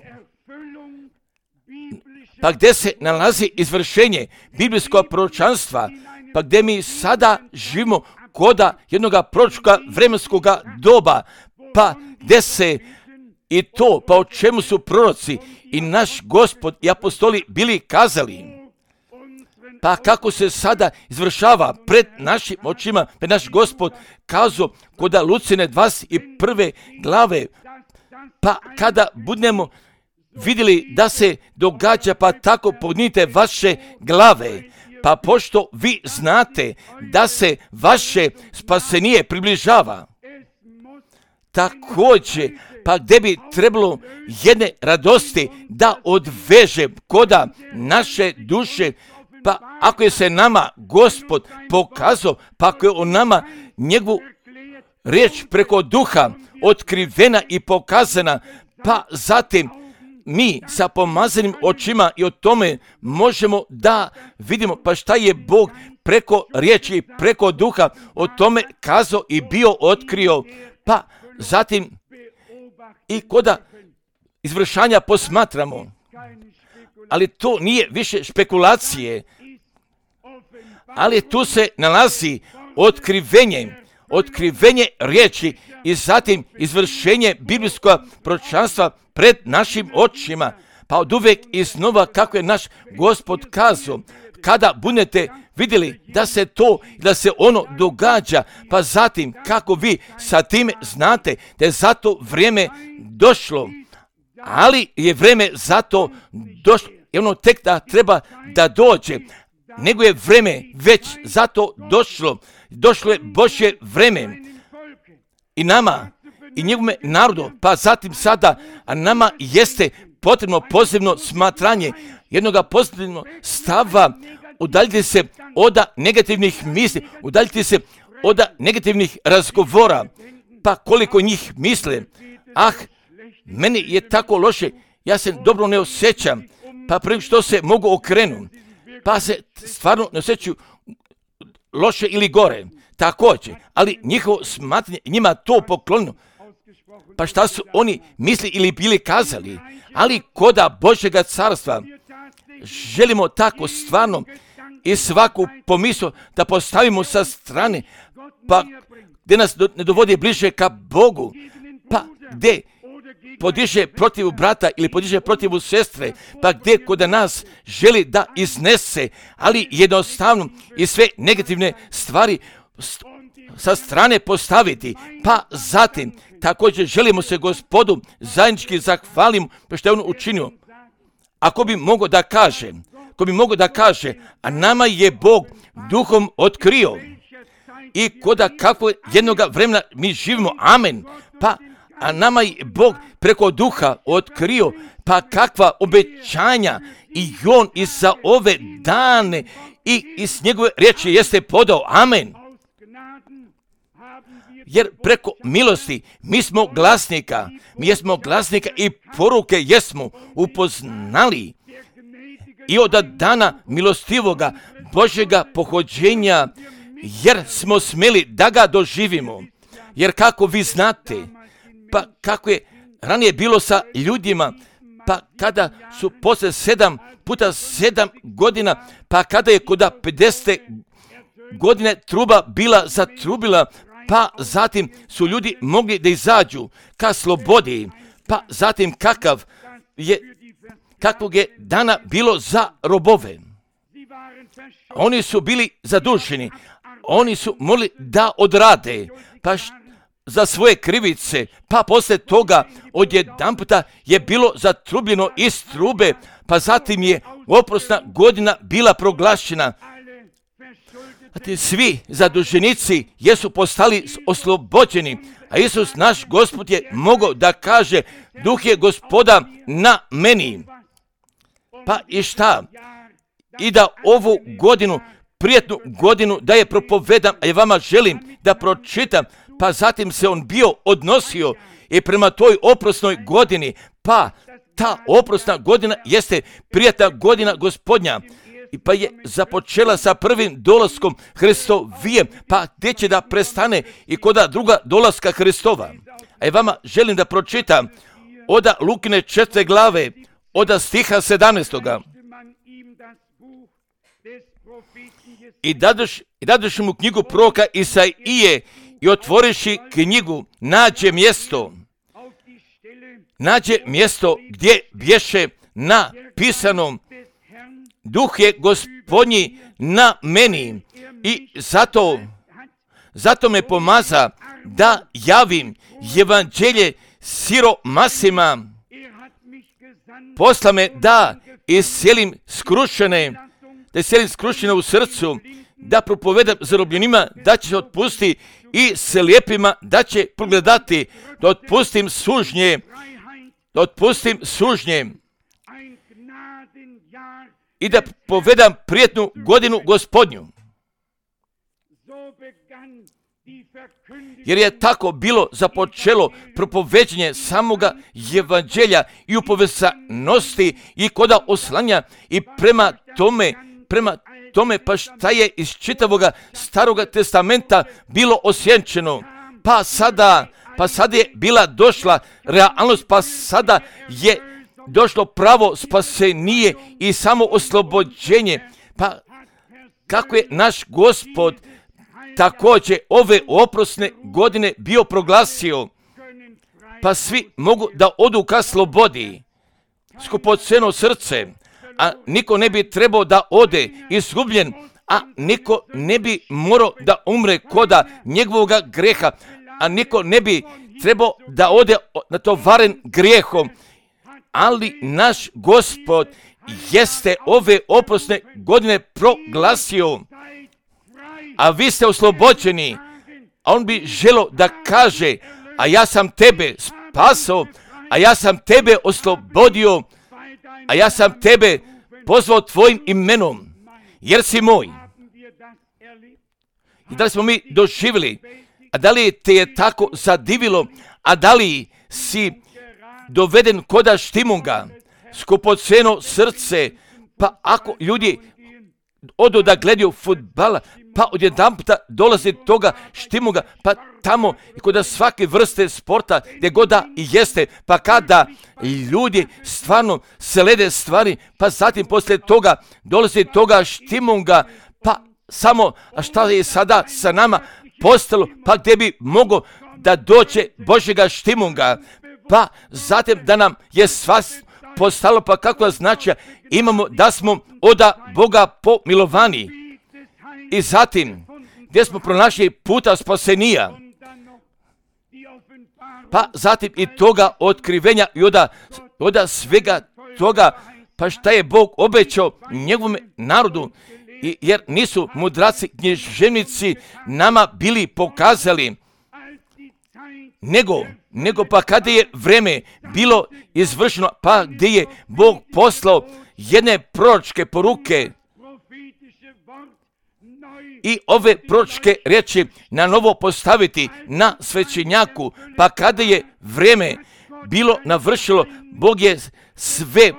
[SPEAKER 1] Pa gdje se nalazi izvršenje biblijskog proročanstva, pa gdje mi sada živimo koda jednoga proročka vremenskog doba, pa gdje se i to, pa o čemu su proroci i naš Gospod i apostoli bili kazali, pa kako se sada izvršava pred našim očima, pred naš Gospod kazao kod Lucine 21. glave, pa kada budemo vidjeli da se događa, pa tako podignite vaše glave, pa pošto vi znate da se vaše spasenje približava. Također, pa gdje bi trebalo jedne radosti da odveže koda naše duše, pa ako je se nama Gospod pokazao, pa ako je on nama njegovu riječ preko duha otkrivena i pokazana, pa zatim mi sa pomazanim očima i o tome možemo da vidimo pa šta je Bog preko riječi i preko duha o tome kazao i bio otkrio, pa zatim i koda izvršanja posmatramo. Ali to nije više špekulacije, ali tu se nalazi otkrivenje riječi i zatim izvršenje biblijskog proročanstva pred našim očima. Pa od uvijek iznova kako je naš Gospod kazao, kada budete vidjeli da se ono događa, pa zatim kako vi sa time znate da je za to vrijeme došlo, ali je vrijeme za to došlo, i ono tek da treba da dođe, nego je vrijeme već za to došlo je Božje vrijeme i nama i njegovome narodu, pa zatim sada, a nama jeste potrebno pozitivno smatranje, jednoga pozitivnog stava, udaljiti se od negativnih misli, udaljiti se od negativnih razgovora, pa koliko njih misle, meni je tako loše, ja se dobro ne osjećam, pa prvi što se mogu okrenu, pa se stvarno ne osjećaju loše ili gore, također, ali njihovo smatranje, njima to poklonilo, pa šta su oni misli ili bili kazali, ali koda Božjega carstva želimo tako stvarno i svaku pomisao da postavimo sa strane, pa gdje nas ne dovodi bliže ka Bogu, pa gdje podiže protiv brata ili podiže protiv sestre, pa gdje kod nas želi da iznese, ali jednostavno i sve negativne stvari sa strane postaviti. Pa zatim također želimo se Gospodu zajednički zahvalimo što je on učinio. Ako bi mogao da kaže, a nama je Bog duhom otkrio i koda kako jednoga vremena mi živimo, amen, pa a nama je Bog preko duha otkrio, pa kakva obećanja i on i za ove dane i iz njegove riječi jeste podao, amen. Jer preko milosti mi smo glasnika i poruke jesmo upoznali i od dana milostivoga Božjega pohođenja, jer smo smjeli da ga doživimo. Jer kako vi znate, pa kako je ranije bilo sa ljudima, pa kada su poslije 7 puta 7 godina, pa kada je kod 50 godine truba bila zatrubila, pa zatim su ljudi mogli da izađu ka slobodi, pa zatim kakvog je dana bilo za robove. Oni su bili zaduženi, oni su mogli da odrade, pa za svoje krivice, pa poslije toga odjedanputa je bilo zatrubljeno iz trube, pa zatim je oprosna godina bila proglašena. Svi zaduženici jesu postali oslobođeni, a Isus naš Gospod je mogao da kaže, duh je Gospoda na meni. Pa i šta? I da ovu godinu, prijetnu godinu, da je propovedam, a ja vama želim da pročitam, pa zatim se on bio odnosio i prema toj oprosnoj godini, pa ta oprosna godina jeste prijetna godina Gospodnja. I pa je započela sa prvim dolaskom Hristovijem, pa gdje će da prestane i koda druga dolaska Hristova. A ja vama želim da pročitam od Lukine 4. glave, od stiha 17. I dadoš mu knjigu proroka Isaije i otvoriši knjigu, nađe mjesto gdje bješe napisano, duh je Gospodnji na meni i zato me pomaza da javim evanđelje siromasima. Posla me da iscelim skrušene u srcu, da propovedam zarobljenima da će se otpustiti i slijepima da će progledati, da otpustim sužnje i da povedam prijetnu godinu Gospodnju. Jer je tako bilo započelo propoveđenje samoga evanđelja i upovezanosti i koda oslanja i prema tome pa šta je iz čitavoga Staroga testamenta bilo osjenčeno. Pa sada je bila došla realnost, pa sada je došlo pravo spasenije i samo oslobođenje. Pa kako je naš Gospod također ove oprosne godine bio proglasio, pa svi mogu da odu ka slobodi, skupoceno srce, a niko ne bi trebao da ode izgubljen, a niko ne bi morao da umre koda njegovoga greha, a niko ne bi trebao da ode natovaren grijehom, ali naš Gospod jeste ove oprosne godine proglasio, a vi ste oslobođeni, a on bi želio da kaže, a ja sam tebe spasao, a ja sam tebe oslobodio, a ja sam tebe pozvao tvojim imenom, jer si moj. I da li smo mi doživjeli, a da li te je tako zadivilo, a da li si doveden koda štimunga, skupoceno srce, pa ako ljudi odu da gledaju fudbala, pa odjedanputa dolazi toga štimuga, pa tamo i kod svake vrste sporta gdje god da i jeste, pa kada ljudi stvarno slede stvari, pa zatim poslije toga dolazi toga štimunga, pa samo, a šta je sada sa nama postalo, pa gdje bi mogo da dođe Božjega štimunga, pa zatim da nam je sva postalo, pa kako znači imamo da smo od Boga pomilovani. I zatim, gdje smo pronašli puta spasenija, pa zatim i toga otkrivenja i od svega toga, pa šta je Bog obećao njegovom narodu, jer nisu mudraci, književnici nama bili pokazali, nego pa kada je vreme bilo izvršeno, pa gdje je Bog poslao jedne proročke poruke i ove proročke riječi na novo postaviti na svećenjaku, pa kada je vreme bilo navršilo, Bog je sve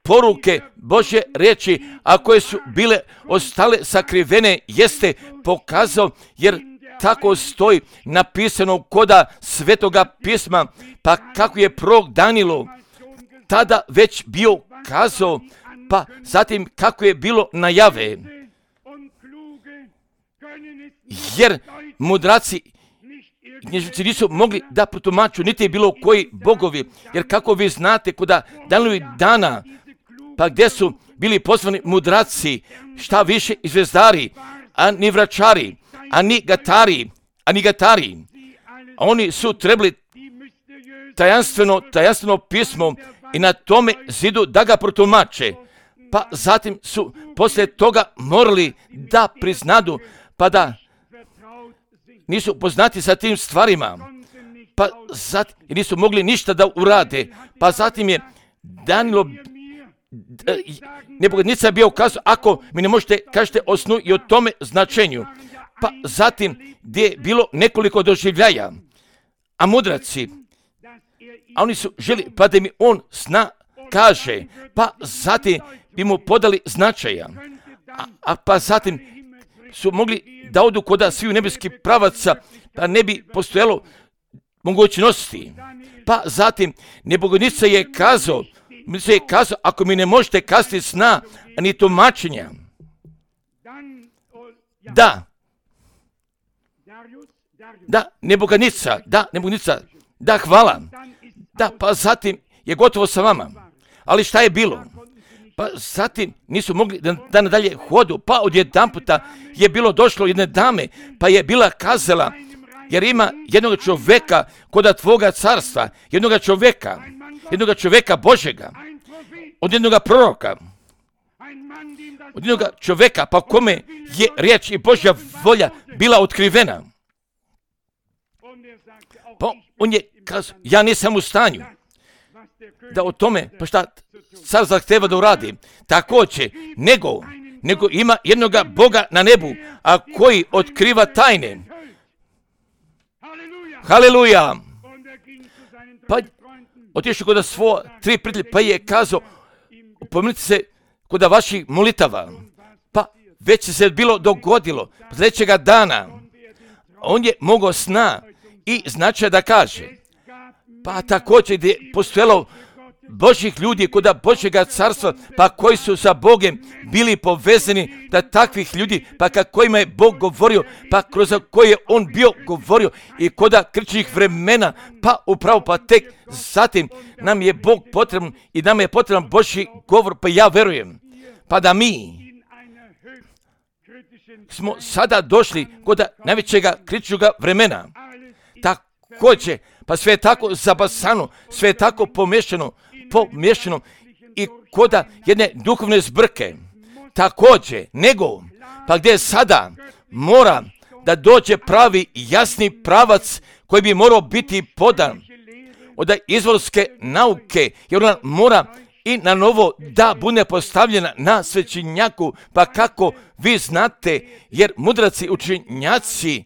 [SPEAKER 1] poruke Božje riječi, a koje su bile ostale sakrivene, jeste pokazao, jer tako stoji napisano koda Svetoga pisma, pa kako je prorok Danilo tada već bio kazao, pa zatim kako je bilo najave. Jer mudraci književnici nisu mogli da protumaču niti bilo koji bogovi, jer kako vi znate koda Danilovih dana, pa gdje su bili pozvani mudraci, šta više i zvezdari, a ni vračari, a ni gatari, a oni su trebali tajanstveno pismo i na tome zidu da ga protumače, pa zatim su poslije toga morali da priznadu, pa da nisu poznati sa tim stvarima, pa zatim nisu mogli ništa da urade, pa zatim je Danilo nebogednica bio kazao, ako mi ne možete kažete o snu i o tome značenju, pa zatim gdje je bilo nekoliko doživljaja, a mudraci, a oni su želi, pa da mi on sna kaže, pa zatim bi mu podali značaja, a pa zatim su mogli da odu kod sviju nebeskih pravaca, pa ne bi postojalo mogućnosti. Pa zatim nebogednica je kazao, ako mi ne možete kazati sna, ni tumačenja, nebogednica, da, hvala, da, pa zatim je gotovo sa vama. Ali šta je bilo? Pa zatim nisu mogli da nadalje hodu, pa odjedanputa je bilo došlo jedne dame, pa je bila kazala, jer ima jednog čovjeka koda tvoga carstva, jednog čovjeka Božega, od jednog proroka, od jednog čovjeka, pa kome je riječ i Božja volja bila otkrivena. Pa on je kazao, ja nisam u stanju da o tome, pa šta car zahteva da uradi, također, nego ima jednoga Boga na nebu, a koji otkriva tajne. Haleluja! Pa otišao kod svo 3 prijatelja, pa je kazao, upomenite se kod vaših molitava, pa već se bilo dogodilo, sljedećega dana, on je mogao sna i značaj da kaže, pa također gdje je postojalo Božjih ljudi kod Božjega carstva, pa koji su sa Bogom bili povezani, da takvih ljudi, pa kojima je Bog govorio, pa kroz koje je on bio govorio i kod krčnih vremena, pa upravo pa tek zatim nam je Bog potreban i nam je potreban Božji govor, pa ja verujem, pa da mi smo sada došli kod najvećega kritičnog vremena, također, pa sve je tako zabasano, sve je tako pomiješano i koda jedne duhovne zbrke, također, nego, pa gdje sada mora da dođe pravi jasni pravac koji bi morao biti podan od izvorske nauke, jer ona mora i na novo da bude postavljena na svećenjaku, pa kako vi znate, jer mudraci učenjaci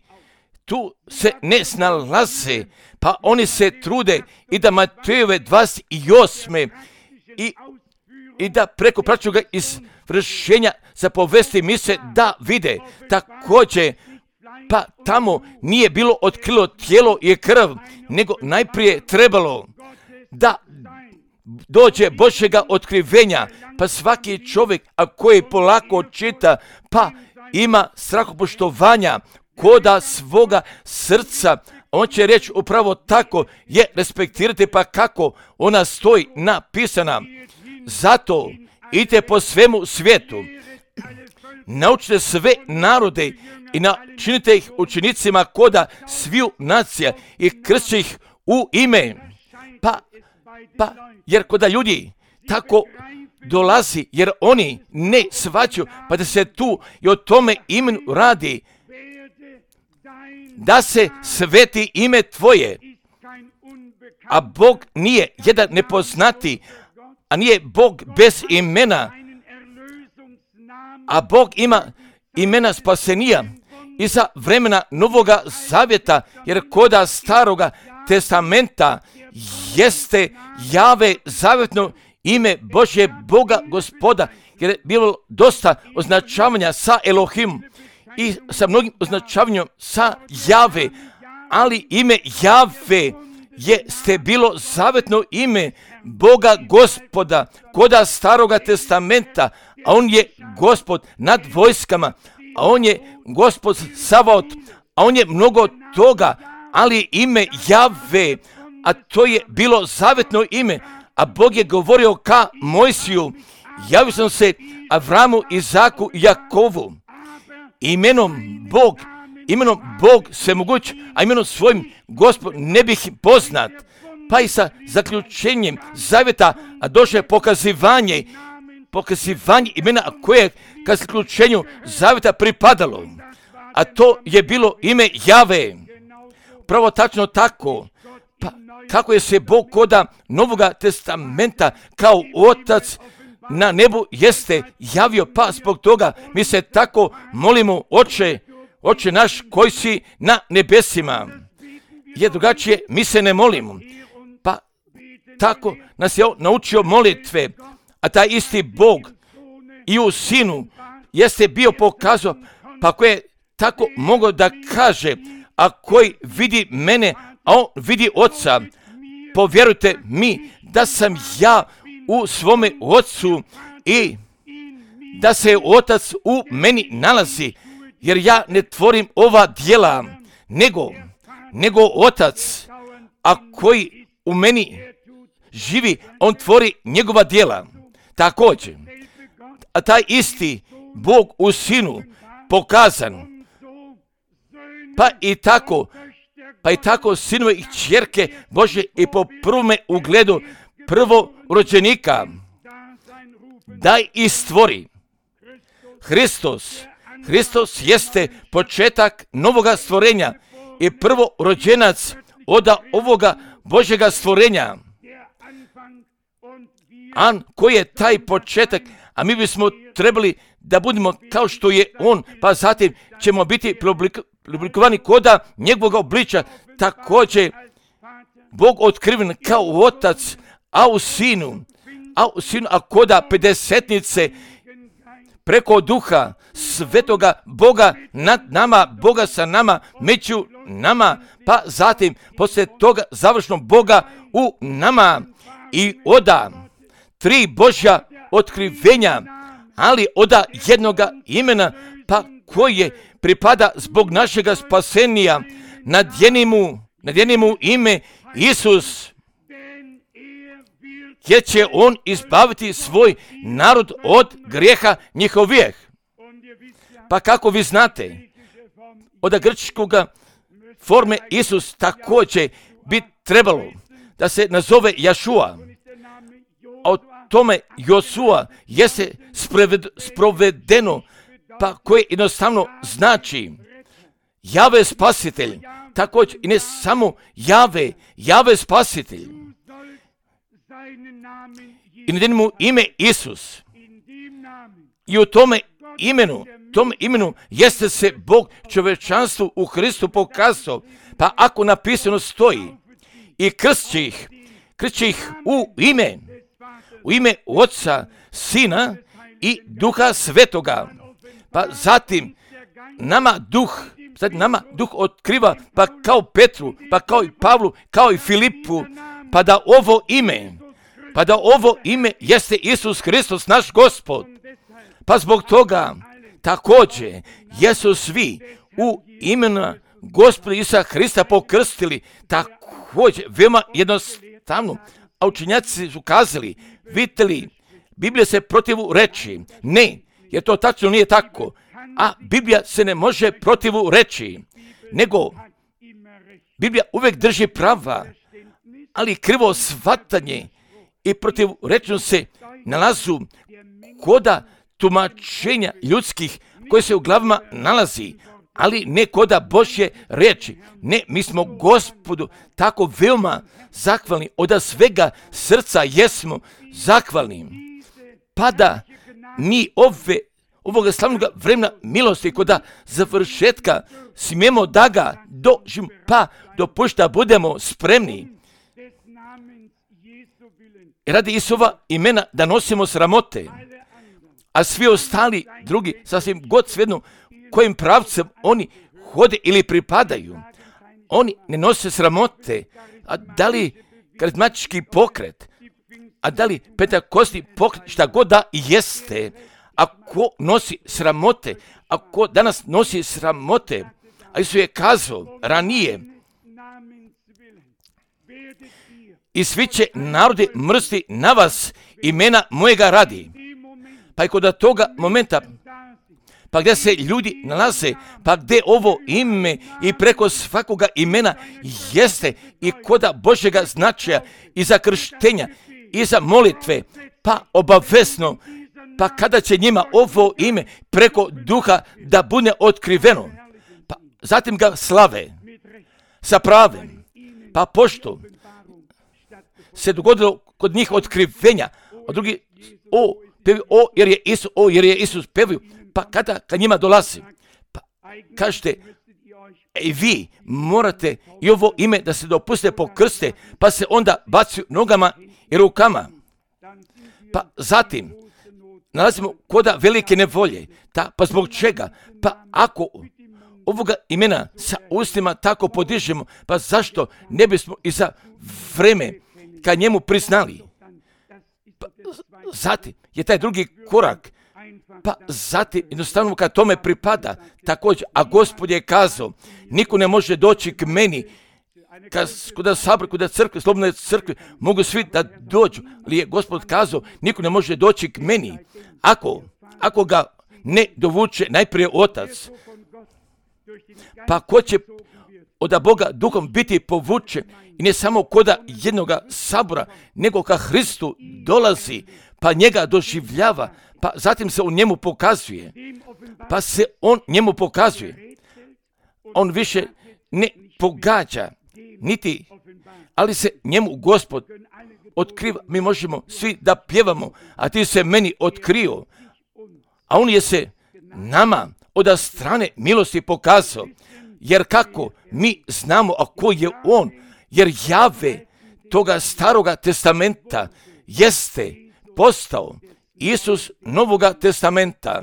[SPEAKER 1] tu se ne snalaze, pa oni se trude i da Matejove 28. i i da preko praćuga izvršenja zapovesti mise da vide. Također, pa tamo nije bilo otkrilo tijelo i krv, nego najprije trebalo da dođe Božjega otkrivenja, pa svaki čovjek, a koji polako čita, pa ima strahopoštovanja koda svoga srca, on će reći upravo tako je respektirati, pa kako ona stoji napisana. Zato idite po svemu svijetu, naučite sve narode i načinite ih učenicima koda sviju nacija i krstite ih u ime. Jer koda ljudi tako dolazi, jer oni ne shvaćaju, pa da se tu i o tome imenu radi, da se sveti ime tvoje, a Bog nije jedan nepoznati, a nije Bog bez imena, a Bog ima imena spasenija i za vremena Novoga Zavjeta, jer koda Staroga Testamenta jeste Jave zavjetno ime Božje Boga Gospoda, jer je bilo dosta označavanja sa Elohim i sa mnogim označavanjem sa Jave, ali ime Jave jeste bilo zavjetno ime Boga Gospoda koda Staroga Testamenta, a on je Gospod nad vojskama, a on je Gospod Savaot, a on je mnogo toga, ali ime Jave, a to je bilo zavjetno ime, a Bog je govorio ka Mojsiju, javio sam se Avramu, Izaku i Jakovu, imenom Bog svemoguć, a imenom svojim Gospod ne bih poznat. Pa i sa zaključenjem zavjeta, a došlo je pokazivanje imena koje ka zaključenju zavjeta pripadalo, a to je bilo ime Jave. Pravo tačno tako, pa kako je se Bog koda Novoga Testamenta kao Otac na nebu jeste javio, pa zbog toga mi se tako molimo, Oče naš koji si na nebesima. Jer drugačije mi se ne molimo. Pa tako nas je naučio molitve, a taj isti Bog i u Sinu jeste bio pokazao, pa ko je tako mogao da kaže, a koji vidi mene, a on vidi Oca, povjerujte mi da sam ja u svome Otcu i da se Otac u meni nalazi, jer ja ne tvorim ova djela, nego Otac, a koji u meni živi, on tvori njegova djela. Također, a taj isti Bog u Sinu pokazan, pa i tako sinove i kćerke Božje i po prvome ugledu prvorođenika daj i stvori. Hristos jeste početak novoga stvorenja i prvorođenac od ovoga Božjega stvorenja. Koji je taj početak, a mi bismo trebali da budemo kao što je on, pa zatim ćemo biti preoblikovani koda njegovog obličja. Također Bog otkriven kao Otac, a u Sinu, a koda pedesetnice preko Duha Svetoga Boga nad nama, Boga sa nama, među nama, pa zatim poslije toga završno Boga u nama i oda 3 Božja otkrivenja, ali oda jednoga imena, pa koje pripada zbog našega spasenija, nadjeni mu ime Isus, jer će on izbaviti svoj narod od grijeha njihovih. Pa kako vi znate, od grčkoga forme Isus također bi trebalo da se nazove Jašua, a o tome Josua jeste sprovedeno, pa koje jednostavno znači Jave spasitelj, također i ne samo Jave spasitelj. I nadjeni mu ime Isus. I u tome imenu jeste se Bog čovječanstvu u Hristu pokazao, pa ako napisano stoji i krst će ih u ime Otca, Sina i Duha Svetoga. Pa zatim nama Duh otkriva, pa kao Petru, pa kao i Pavlu, kao i Filipu, pa da ovo ime jeste Isus Hristos, naš Gospod. Pa zbog toga također jesu svi u imena Gospoda Isusa Hrista pokrstili, također veoma jednostavno. A učenjaci su kazali, vidite li, Biblija se protivu reći. Ne, jer to tačno nije tako. A Biblija se ne može protivu reći, nego Biblija uvijek drži prava, ali krivo shvatanje i protivrečnost se nalazu koda tumačenja ljudskih koje se u glavama nalazi, ali ne koda Božje riječi. Ne, mi smo Gospodu tako veoma zahvalni, od svega srca jesmo zahvalni. Pa da mi ovoga slavnog vremena milosti koda završetka smijemo da ga doživimo, pa dopušta budemo spremni. Radi Isova imena da nosimo sramote, a svi ostali drugi, sasvim god svejedno kojim pravcem oni hode ili pripadaju, oni ne nose sramote. A da li karizmatički pokret, a da li pentekostni pokret, šta god da jeste, ako nosi sramote, ako danas nosi sramote, a Isus je kazao ranije, i svi će narodi mrsti na vas imena mojega radi. Pa i kod toga momenta, pa gdje se ljudi nalaze, pa gdje ovo ime i preko svakoga imena jeste i koda Božjega značaja i za krštenja i za molitve, pa obavezno, pa kada će njima ovo ime preko duha da bude otkriveno, pa zatim ga slave sa pravim, pa pošto se dogodilo kod njih otkrivenja, a drugi jer je Isus pevaju, pa kada njima dolazi, pa kažete, vi morate i ovo ime da se dopuste pokrste, pa se onda bacaju nogama i rukama. Pa zatim nalazimo koda velike nevolje. Pa zbog čega? Pa ako ovoga imena sa ustima tako podižemo, pa zašto ne bismo i za vreme kad njemu priznali? Pa zatim je taj drugi korak, pa zatim jednostavno kad tome pripada također, a Gospod je kazao, niko ne može doći k meni, kod sabora, kod crkve, slobodne crkve, mogu svi da dođu, ali je Gospod kazao, niko ne može doći k meni, ako ga ne dovuče najprije Otac. Pa ko će od Boga duhom biti povučen i ne samo koda jednoga sabora, nego ka Hristu dolazi, pa njega doživljava, pa zatim se on njemu pokazuje, on više ne pogađa, niti, ali se njemu Gospod otkriva. Mi možemo svi da pjevamo, a ti se meni otkrio, a on je se nama od strane milosti pokazao, jer kako mi znamo, a ko je on, jer Jahve toga staroga testamenta jeste postao Isus Novoga testamenta.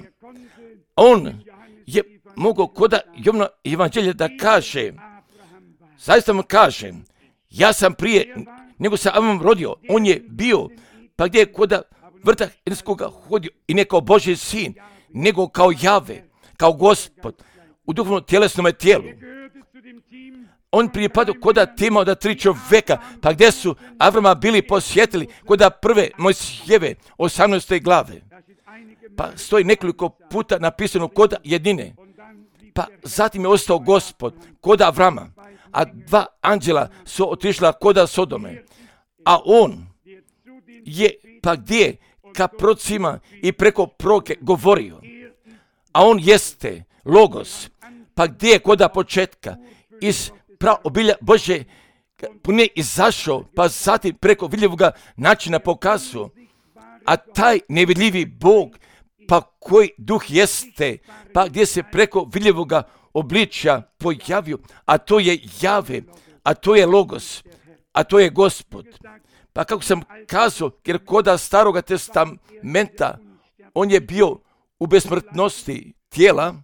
[SPEAKER 1] On je mogao koda Jovana evanđelja da kaže, zaista mu kažem, ja sam prije nego se Avram rodio, on je bio, pa gdje je koda vrta Edenskoga hodio i ne kao Božji sin, nego kao Jahve, kao Gospod, u duhovnom tjelesnom tijelu. On pripadao koda tima od 3 čovjeka, pa gdje su Avrama bili posjetili koda prve Mojsijeve 18. glave. Pa stoji nekoliko puta napisano koda jedine. Pa zatim je ostao Gospod koda Avrama, a 2 anđela su otišla koda Sodome. A on je pa gdje ka procima i preko proroke govorio. A on jeste Logos, pa gdje je koda početka iz obilja Bože pune izašao, pa zatim preko vidljivoga načina pokazao. A taj nevidljivi Bog, pa koji duh jeste, pa gdje se preko vidljivoga obličja pojavio, a to je Jahve, a to je Logos, a to je Gospod. Pa kako sam kazao, jer koda Staroga testamenta, on je bio u besmrtnosti tijela,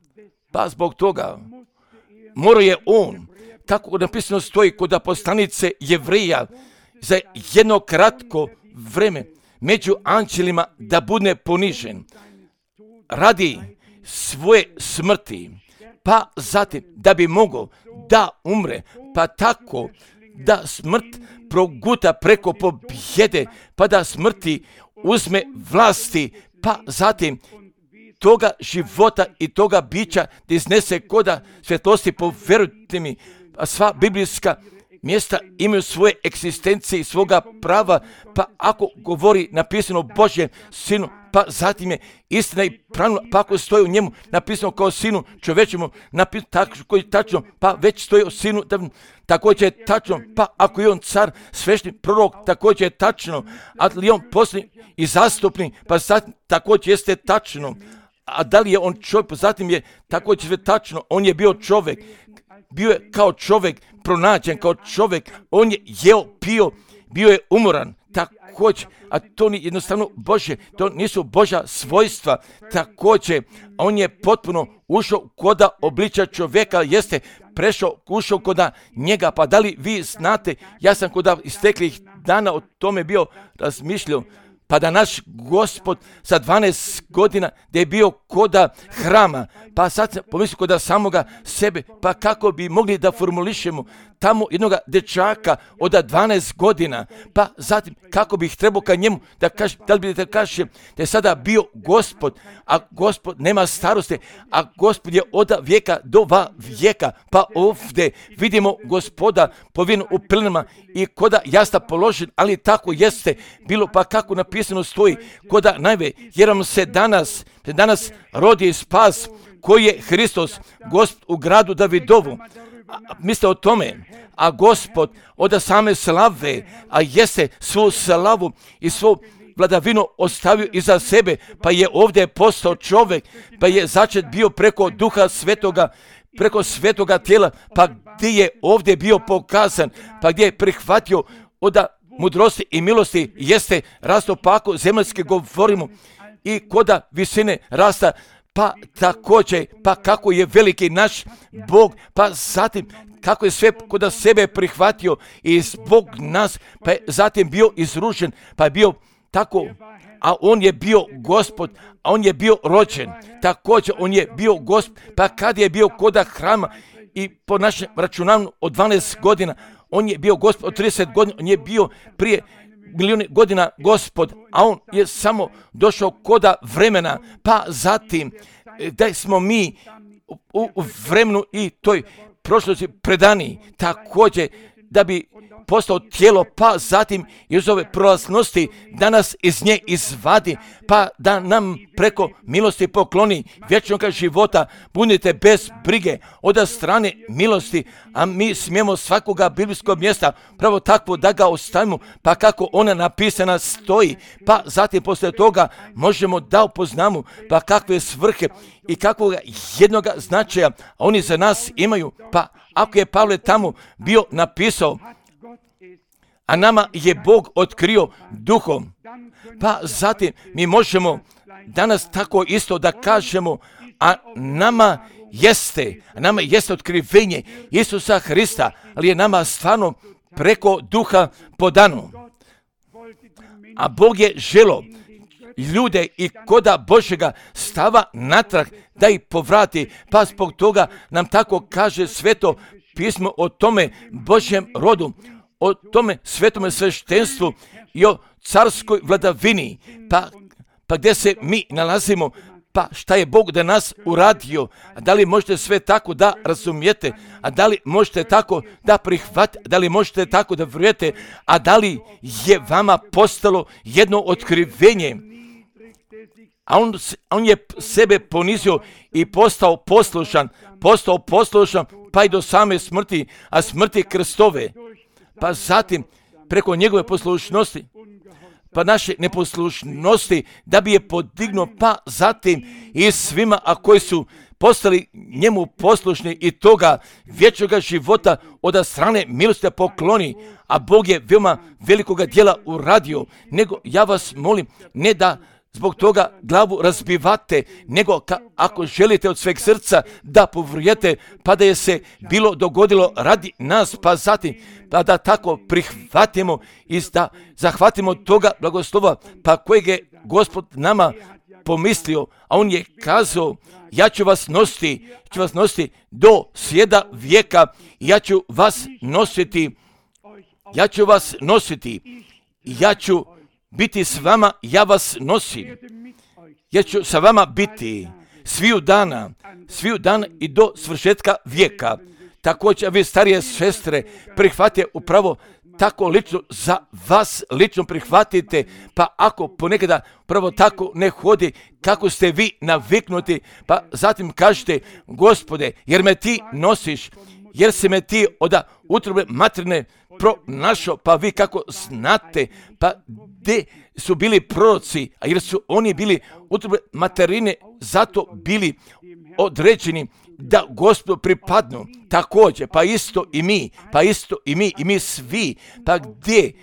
[SPEAKER 1] pa zbog toga morao je on, kako napisano stoji kod poslanice Jevrija, za jedno kratko vreme među anđelima da bude ponižen radi svoje smrti, pa zatim da bi mogao da umre, pa tako da smrt proguta preko pobjede, pa da smrti uzme vlasti, pa zatim toga života i toga bića da iznese koda svjetlosti. Povjerujte mi, sva biblijska mjesta imaju svoje egzistencije i svoga prava, pa ako govori napisano Božjem sinu, pa zatim je istina i pravno, pa ako stoji u njemu napisano kao sinu čovječemu, napisano tako koji je tačno, pa već stoji o sinu, također je tačno, pa ako je on car, svešni prorok, također je tačno, ali je on posljednji i zastupnik, pa zatim također jeste tačno. A da li je on čovjek, pa zatim je također sve tačno, on je bio čovjek, bio je kao čovjek pronađen, kao čovjek, on je jeo, pio, bio je umoran, također, a to nije jednostavno Božje, to nisu Božja svojstva, također, on je potpuno ušao koda obliča čovjeka, jeste ušao koda njega, pa da li vi znate, ja sam koda isteklih dana o tome bio razmišljao, pa da naš Gospod sa 12 godina da je bio koda hrama, pa sad sam pomislio koda samoga sebe, pa kako bi mogli da formulišemo tamo jednoga dečaka od 12 godina, pa zatim kako bih trebao ka njemu da kažem, da li bi da kažem da je sada bio Gospod, a Gospod nema starosti, a Gospod je od vijeka do vijeka, pa ovdje vidimo Gospoda povijeno u plinama i koda jasta položen, ali tako jeste bilo, pa kako napisano stoji, koda najve, jer vam se danas rodi spas koji je Hristos, Gospod u gradu Davidovu. Mislite o tome, a Gospod od same slave, a jeste svu slavu i svu vladavinu ostavio iza sebe, pa je ovdje postao čovjek, pa je začet bio preko Duha Svetoga, preko svetoga tijela, pa gdje je ovdje bio pokazan, pa gdje je prihvatio od mudrosti i milosti, jeste rasto, pa ako zemaljski govorimo i koda visine rasta, pa također, pa kako je veliki naš Bog, pa zatim kako je sve kod sebe prihvatio i zbog nas, pa je zatim bio izrušen, pa je bio tako, a on je bio Gospod, a on je bio rođen, također on je bio Gospod, pa kad je bio koda hrama i po našem računanju od 12 godina, on je bio Gospod od 30 godina, on je bio prije milijune godina Gospod, a on je samo došao koda vremena, pa zatim da smo mi u vremenu i toj prošlosti predani, također da bi postao tijelo, pa zatim iz ove prolaznosti da nas iz nje izvadi, pa da nam preko milosti pokloni vječnog života. Budite bez brige od strane milosti, a mi smijemo svakoga biblijskog mjesta pravo takvo da ga ostavimo, pa kako ona napisana stoji, pa zatim poslije toga možemo da upoznamo pa kakve svrhe i kakvog jednoga značaja oni za nas imaju. Pa ako je Pavle tamo bio napisao, a nama je Bog otkrio duhom, pa zatim mi možemo danas tako isto da kažemo, a nama jeste otkrivenje Isusa Hrista, ali je nama stvarno preko duha podano. A Bog je želo ljude i koda Božjega stava natrag da ih povrati, pa zbog toga nam tako kaže sveto pismo o tome Božjem rodu, o tome svetome sveštenstvu i o carskoj vladavini, pa gdje se mi nalazimo, pa šta je Bog da nas uradio, a da li možete sve tako da razumijete, a da li možete tako da prihvatite, da li možete tako da vjerujete, a da li je vama postalo jedno otkrivenje, a on je sebe ponizio i postao poslušan, pa i do same smrti, a smrti krstove, pa zatim preko njegove poslušnosti, pa naše neposlušnosti da bi je podignuo, pa zatim i svima, a koji su postali njemu poslušni i toga vječnoga života od strane milosti pokloni, a Bog je veoma velikoga djela uradio, nego ja vas molim, ne da zbog toga glavu razbivate, nego ako želite od sveg srca da povjerujete, pa da je se bilo dogodilo radi nas, pa zatim pa da tako prihvatimo i da zahvatimo toga blagoslova, pa kojeg je Gospod nama pomislio, a on je kazao, ja ću vas nositi do svijeda vijeka, ja ću vas nositi, ja ću biti s vama, ja vas nosim, ja ću sa vama biti sviju dana i do svršetka vijeka. Također, vi starije sestre, prihvatite upravo tako lično, za vas lično prihvatite, pa ako ponekada upravo tako ne hodi kako ste vi naviknuti, pa zatim kažete, Gospode, jer me ti nosiš, jer se me ti od utrobe materine pronašao, pa vi kako znate, pa gdje su bili proroci, a jer su oni bili utrobe materine, zato bili određeni da Gospodu pripadnu. Također, pa isto i mi svi, pa gdje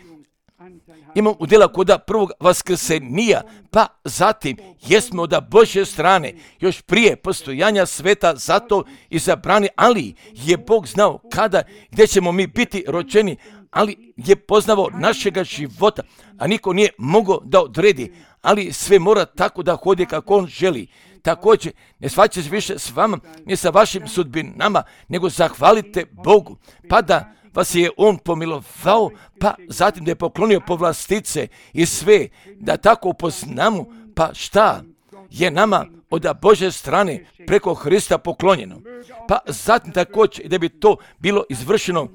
[SPEAKER 1] imamo udjela kod prvog vaskrsenija, pa zatim jesmo od Božje strane, još prije postojanja sveta, zato izabrani, ali je Bog znao kada, gdje ćemo mi biti rođeni, ali je poznavao našega života, a niko nije mogao da odredi, ali sve mora tako da hodi kako on želi. Također, ne svađajte se više s vama, ne sa vašim sudbinama, nego zahvalite Bogu, pa da vas je on pomilovao, pa zatim da je poklonio povlastice i sve, da tako upoznamo, pa šta je nama od Božje strane preko Hrista poklonjeno. Pa zatim također da bi to bilo izvršeno,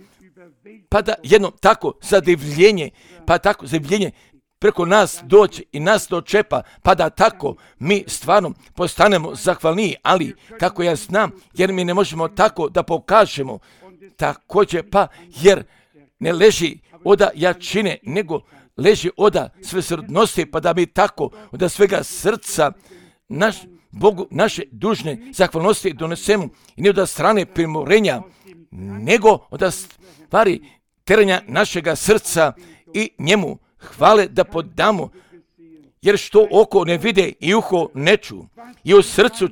[SPEAKER 1] pa da jedno tako zadivljenje preko nas doći i nas dočepa, pa da tako mi stvarno postanemo zahvalniji, ali kako ja znam, jer mi ne možemo tako da pokažemo, također pa jer ne leži oda jačine, nego leži oda svesrdnosti, pa da mi tako od svega srca Bogu naše dužne zahvalnosti donesemo i ne od strane primorenja, nego od stvari teranja našega srca i njemu hvale da podamo, jer što oko ne vide i uho ne ču i u srcu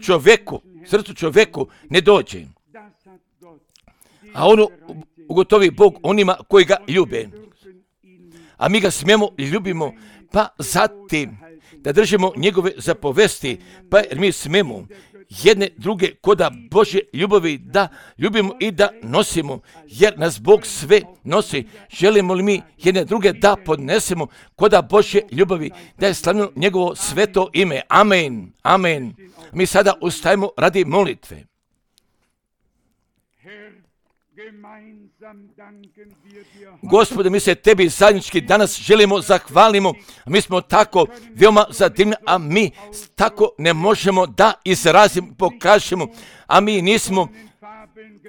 [SPEAKER 1] čovjeku ne dođe. A ono ugotovi Bog onima koji ga ljube. A mi ga smijemo i ljubimo, pa zatim da držimo njegove zapovesti, pa jer mi smijemo jedne druge koda Božje ljubavi da ljubimo i da nosimo, jer nas Bog sve nosi. Želimo li mi jedne druge da podnesemo koda Božje ljubavi, da je slavljeno njegovo sveto ime. Amen, amen. Mi sada ustajemo radi molitve. Gospode, mi se tebi zajednički danas želimo zahvalimo, a mi smo tako veoma zadivni, a mi tako ne možemo da izrazimo, pokažemo, a mi nismo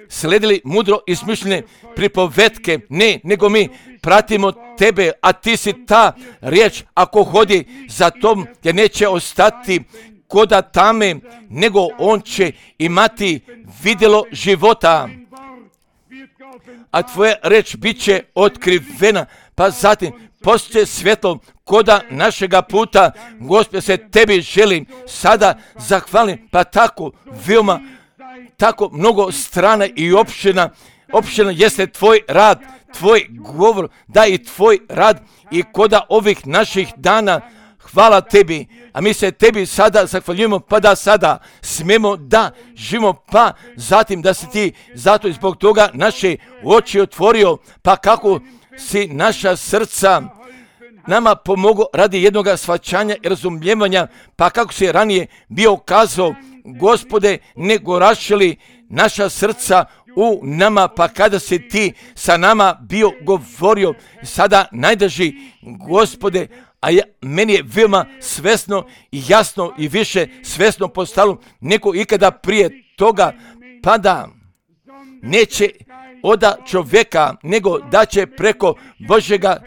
[SPEAKER 1] sledili mudro izmišljene pripovetke, ne, nego mi pratimo tebe, a ti si ta riječ, ako hodi za tom, jer neće ostati koda tame, nego on će imati vidjelo života. A tvoja reč bit će otkrivena, pa zatim postoje svjetlo koda našega puta. Gospod, se tebi želim sada zahvalim, pa tako veoma, tako mnogo strana i opština jeste tvoj rad, tvoj govor, da i tvoj rad i koda ovih naših dana. Hvala tebi, a mi se tebi sada zahvaljujemo, pa da sada smijemo da živimo, pa zatim da si ti zato i zbog toga naše oči otvorio, pa kako si naša srca nama pomogao radi jednog shvaćanja i razumijevanja, pa kako si ranije bio kazao, Gospode, ne gorašili naša srca u nama, pa kada si ti sa nama bio govorio, sada najdraži Gospode, a meni je veoma svesno i jasno i više svesno postalo nego ikada prije toga, pa da neće od čovjeka, nego da će preko Božjega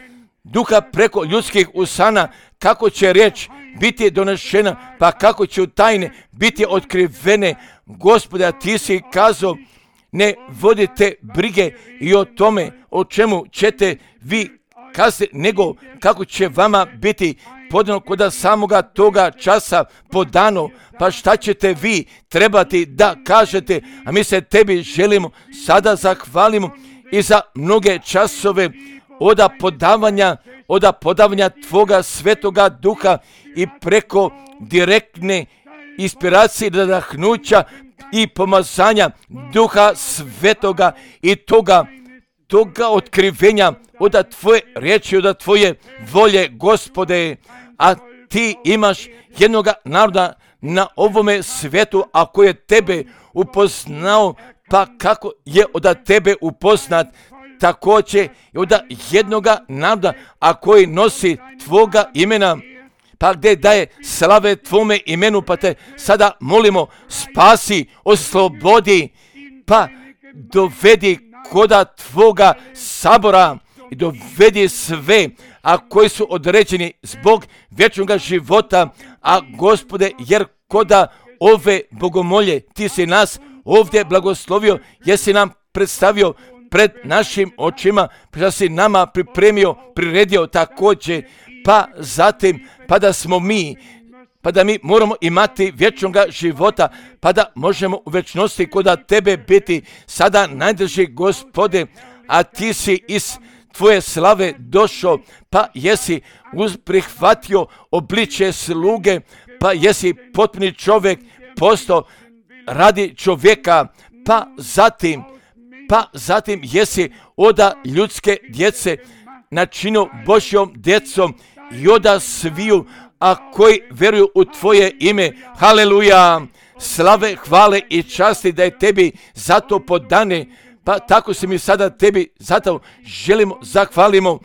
[SPEAKER 1] duha, preko ljudskih usana, kako će riječ biti donešena, pa kako će tajne biti otkrivene. Gospode, a ti si kazao, ne vodite brige i o tome o čemu ćete vi kazati, nego kako će vama biti podano kod samoga toga časa podano, pa šta ćete vi trebati da kažete, a mi se tebi želimo sada zahvalimo i za mnoge časove od podavanja tvoga svetoga duha i preko direktne inspiracije, nadahnuća i pomazanja duha svetoga i toga otkrivenja od tvoje riječi, od tvoje volje, Gospode, a ti imaš jednoga naroda na ovome svijetu, a koji je tebe upoznao, pa kako je od tebe upoznat, također i od jednoga naroda, a koji nosi tvoga imena, pa gdje daje slave tvome imenu, pa te sada molimo, spasi, oslobodi, pa dovedi koda tvoga sabora i dovedi sve, a koji su određeni zbog vječnog života, a Gospode, jer koda ove bogomolje ti si nas ovdje blagoslovio, jesi nam predstavio pred našim očima, da si nama priredio također, pa zatim, pa da smo mi, pa da mi moramo imati vječnog života, pa da možemo u vječnosti kod tebe biti sada najdrži, Gospode, a ti si iz tvoje slave došao, pa jesi prihvatio obličje sluge, pa jesi potpuni čovjek postao radi čovjeka, pa zatim jesi od ljudske djece načinio Božjom djecom i od sviju, a koji vjeruju u tvoje ime. Haleluja! Slave, hvale i časti da je tebi zato podane, pa tako se mi sada tebi zato želimo, zahvalimo,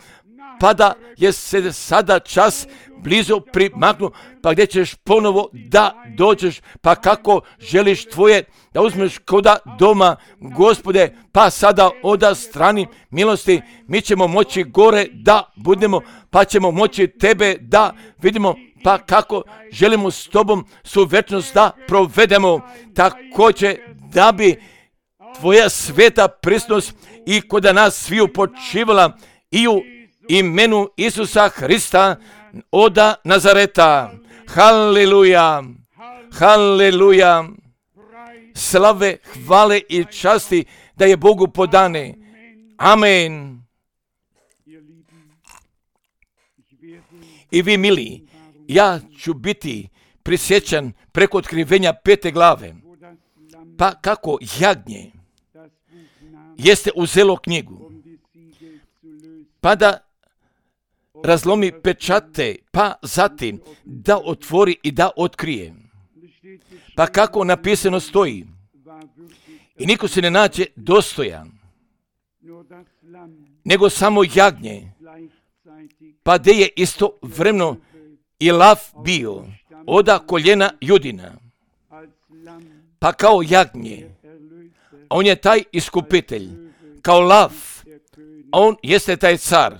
[SPEAKER 1] pa da je se sada čas blizu primaknu, pa gdje ćeš ponovo da dođeš, pa kako želiš tvoje da uzmeš koda doma, Gospode, pa sada od strani milosti mi ćemo moći gore da budemo, pa ćemo moći tebe da vidimo, pa kako želimo s tobom su večnost da provedemo, također da bi tvoja sveta prisutnost i kod nas sviju počivala i u imenu Isusa Hrista od Nazareta. Haleluja, haleluja, slave, hvale i časti da je Bogu podane. Amen. I vi, mili, ja ću biti prisjećan preko otkrivenja 5. glave, pa kako jagnje jeste uzelo knjigu, pa da razlomi pečate, pa zatim da otvori i da otkrije. Pa kako napisano stoji, i niko se ne nađe dostojan, nego samo jagnje, pa de je istovremeno i lav bio od koljena Judina, pa kao jagnje, on je taj iskupitelj, kao lav, on jeste taj car,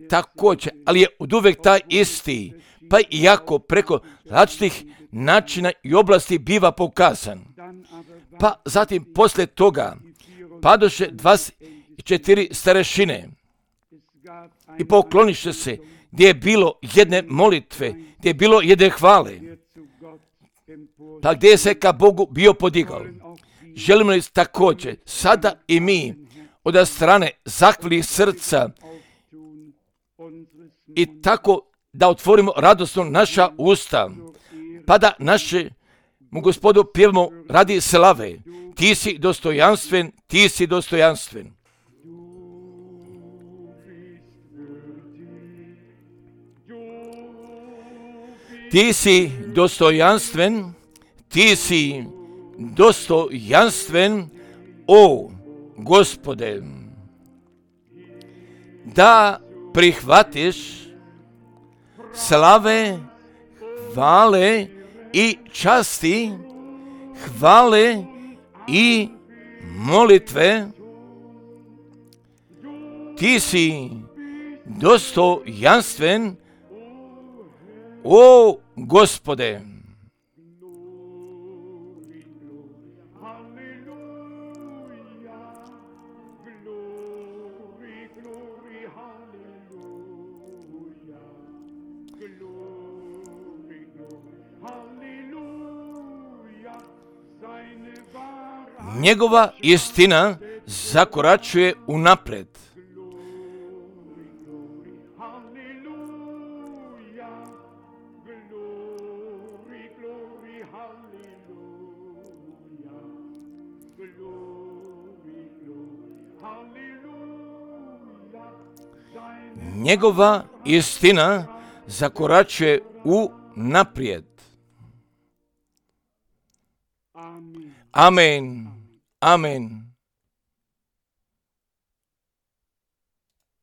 [SPEAKER 1] također, ali je oduvek taj isti, pa iako preko različitih načina i oblasti biva pokazan. Pa zatim poslije toga padoše 24 starešine i pokloniše se gdje je bilo jedne molitve, gdje je bilo jedne hvale, pa gdje je se ka Bogu bio podigao. Želimo li također sada i mi od strane zahvalih srca i tako da otvorimo radosno naša usta, pa da naše mu Gospodu pjevamo radi slave. Ti si dostojanstven, ti si dostojanstven. Ti si dostojanstven, ti si dostojanstven, o Gospode, da prihvatiš slave, hvale i časti, hvale i molitve. Ti si dostojanstven, o Gospode. Njegova istina zakoračuje unaprijed. Njegova istina zakoračuje unaprijed. Amen. Amen.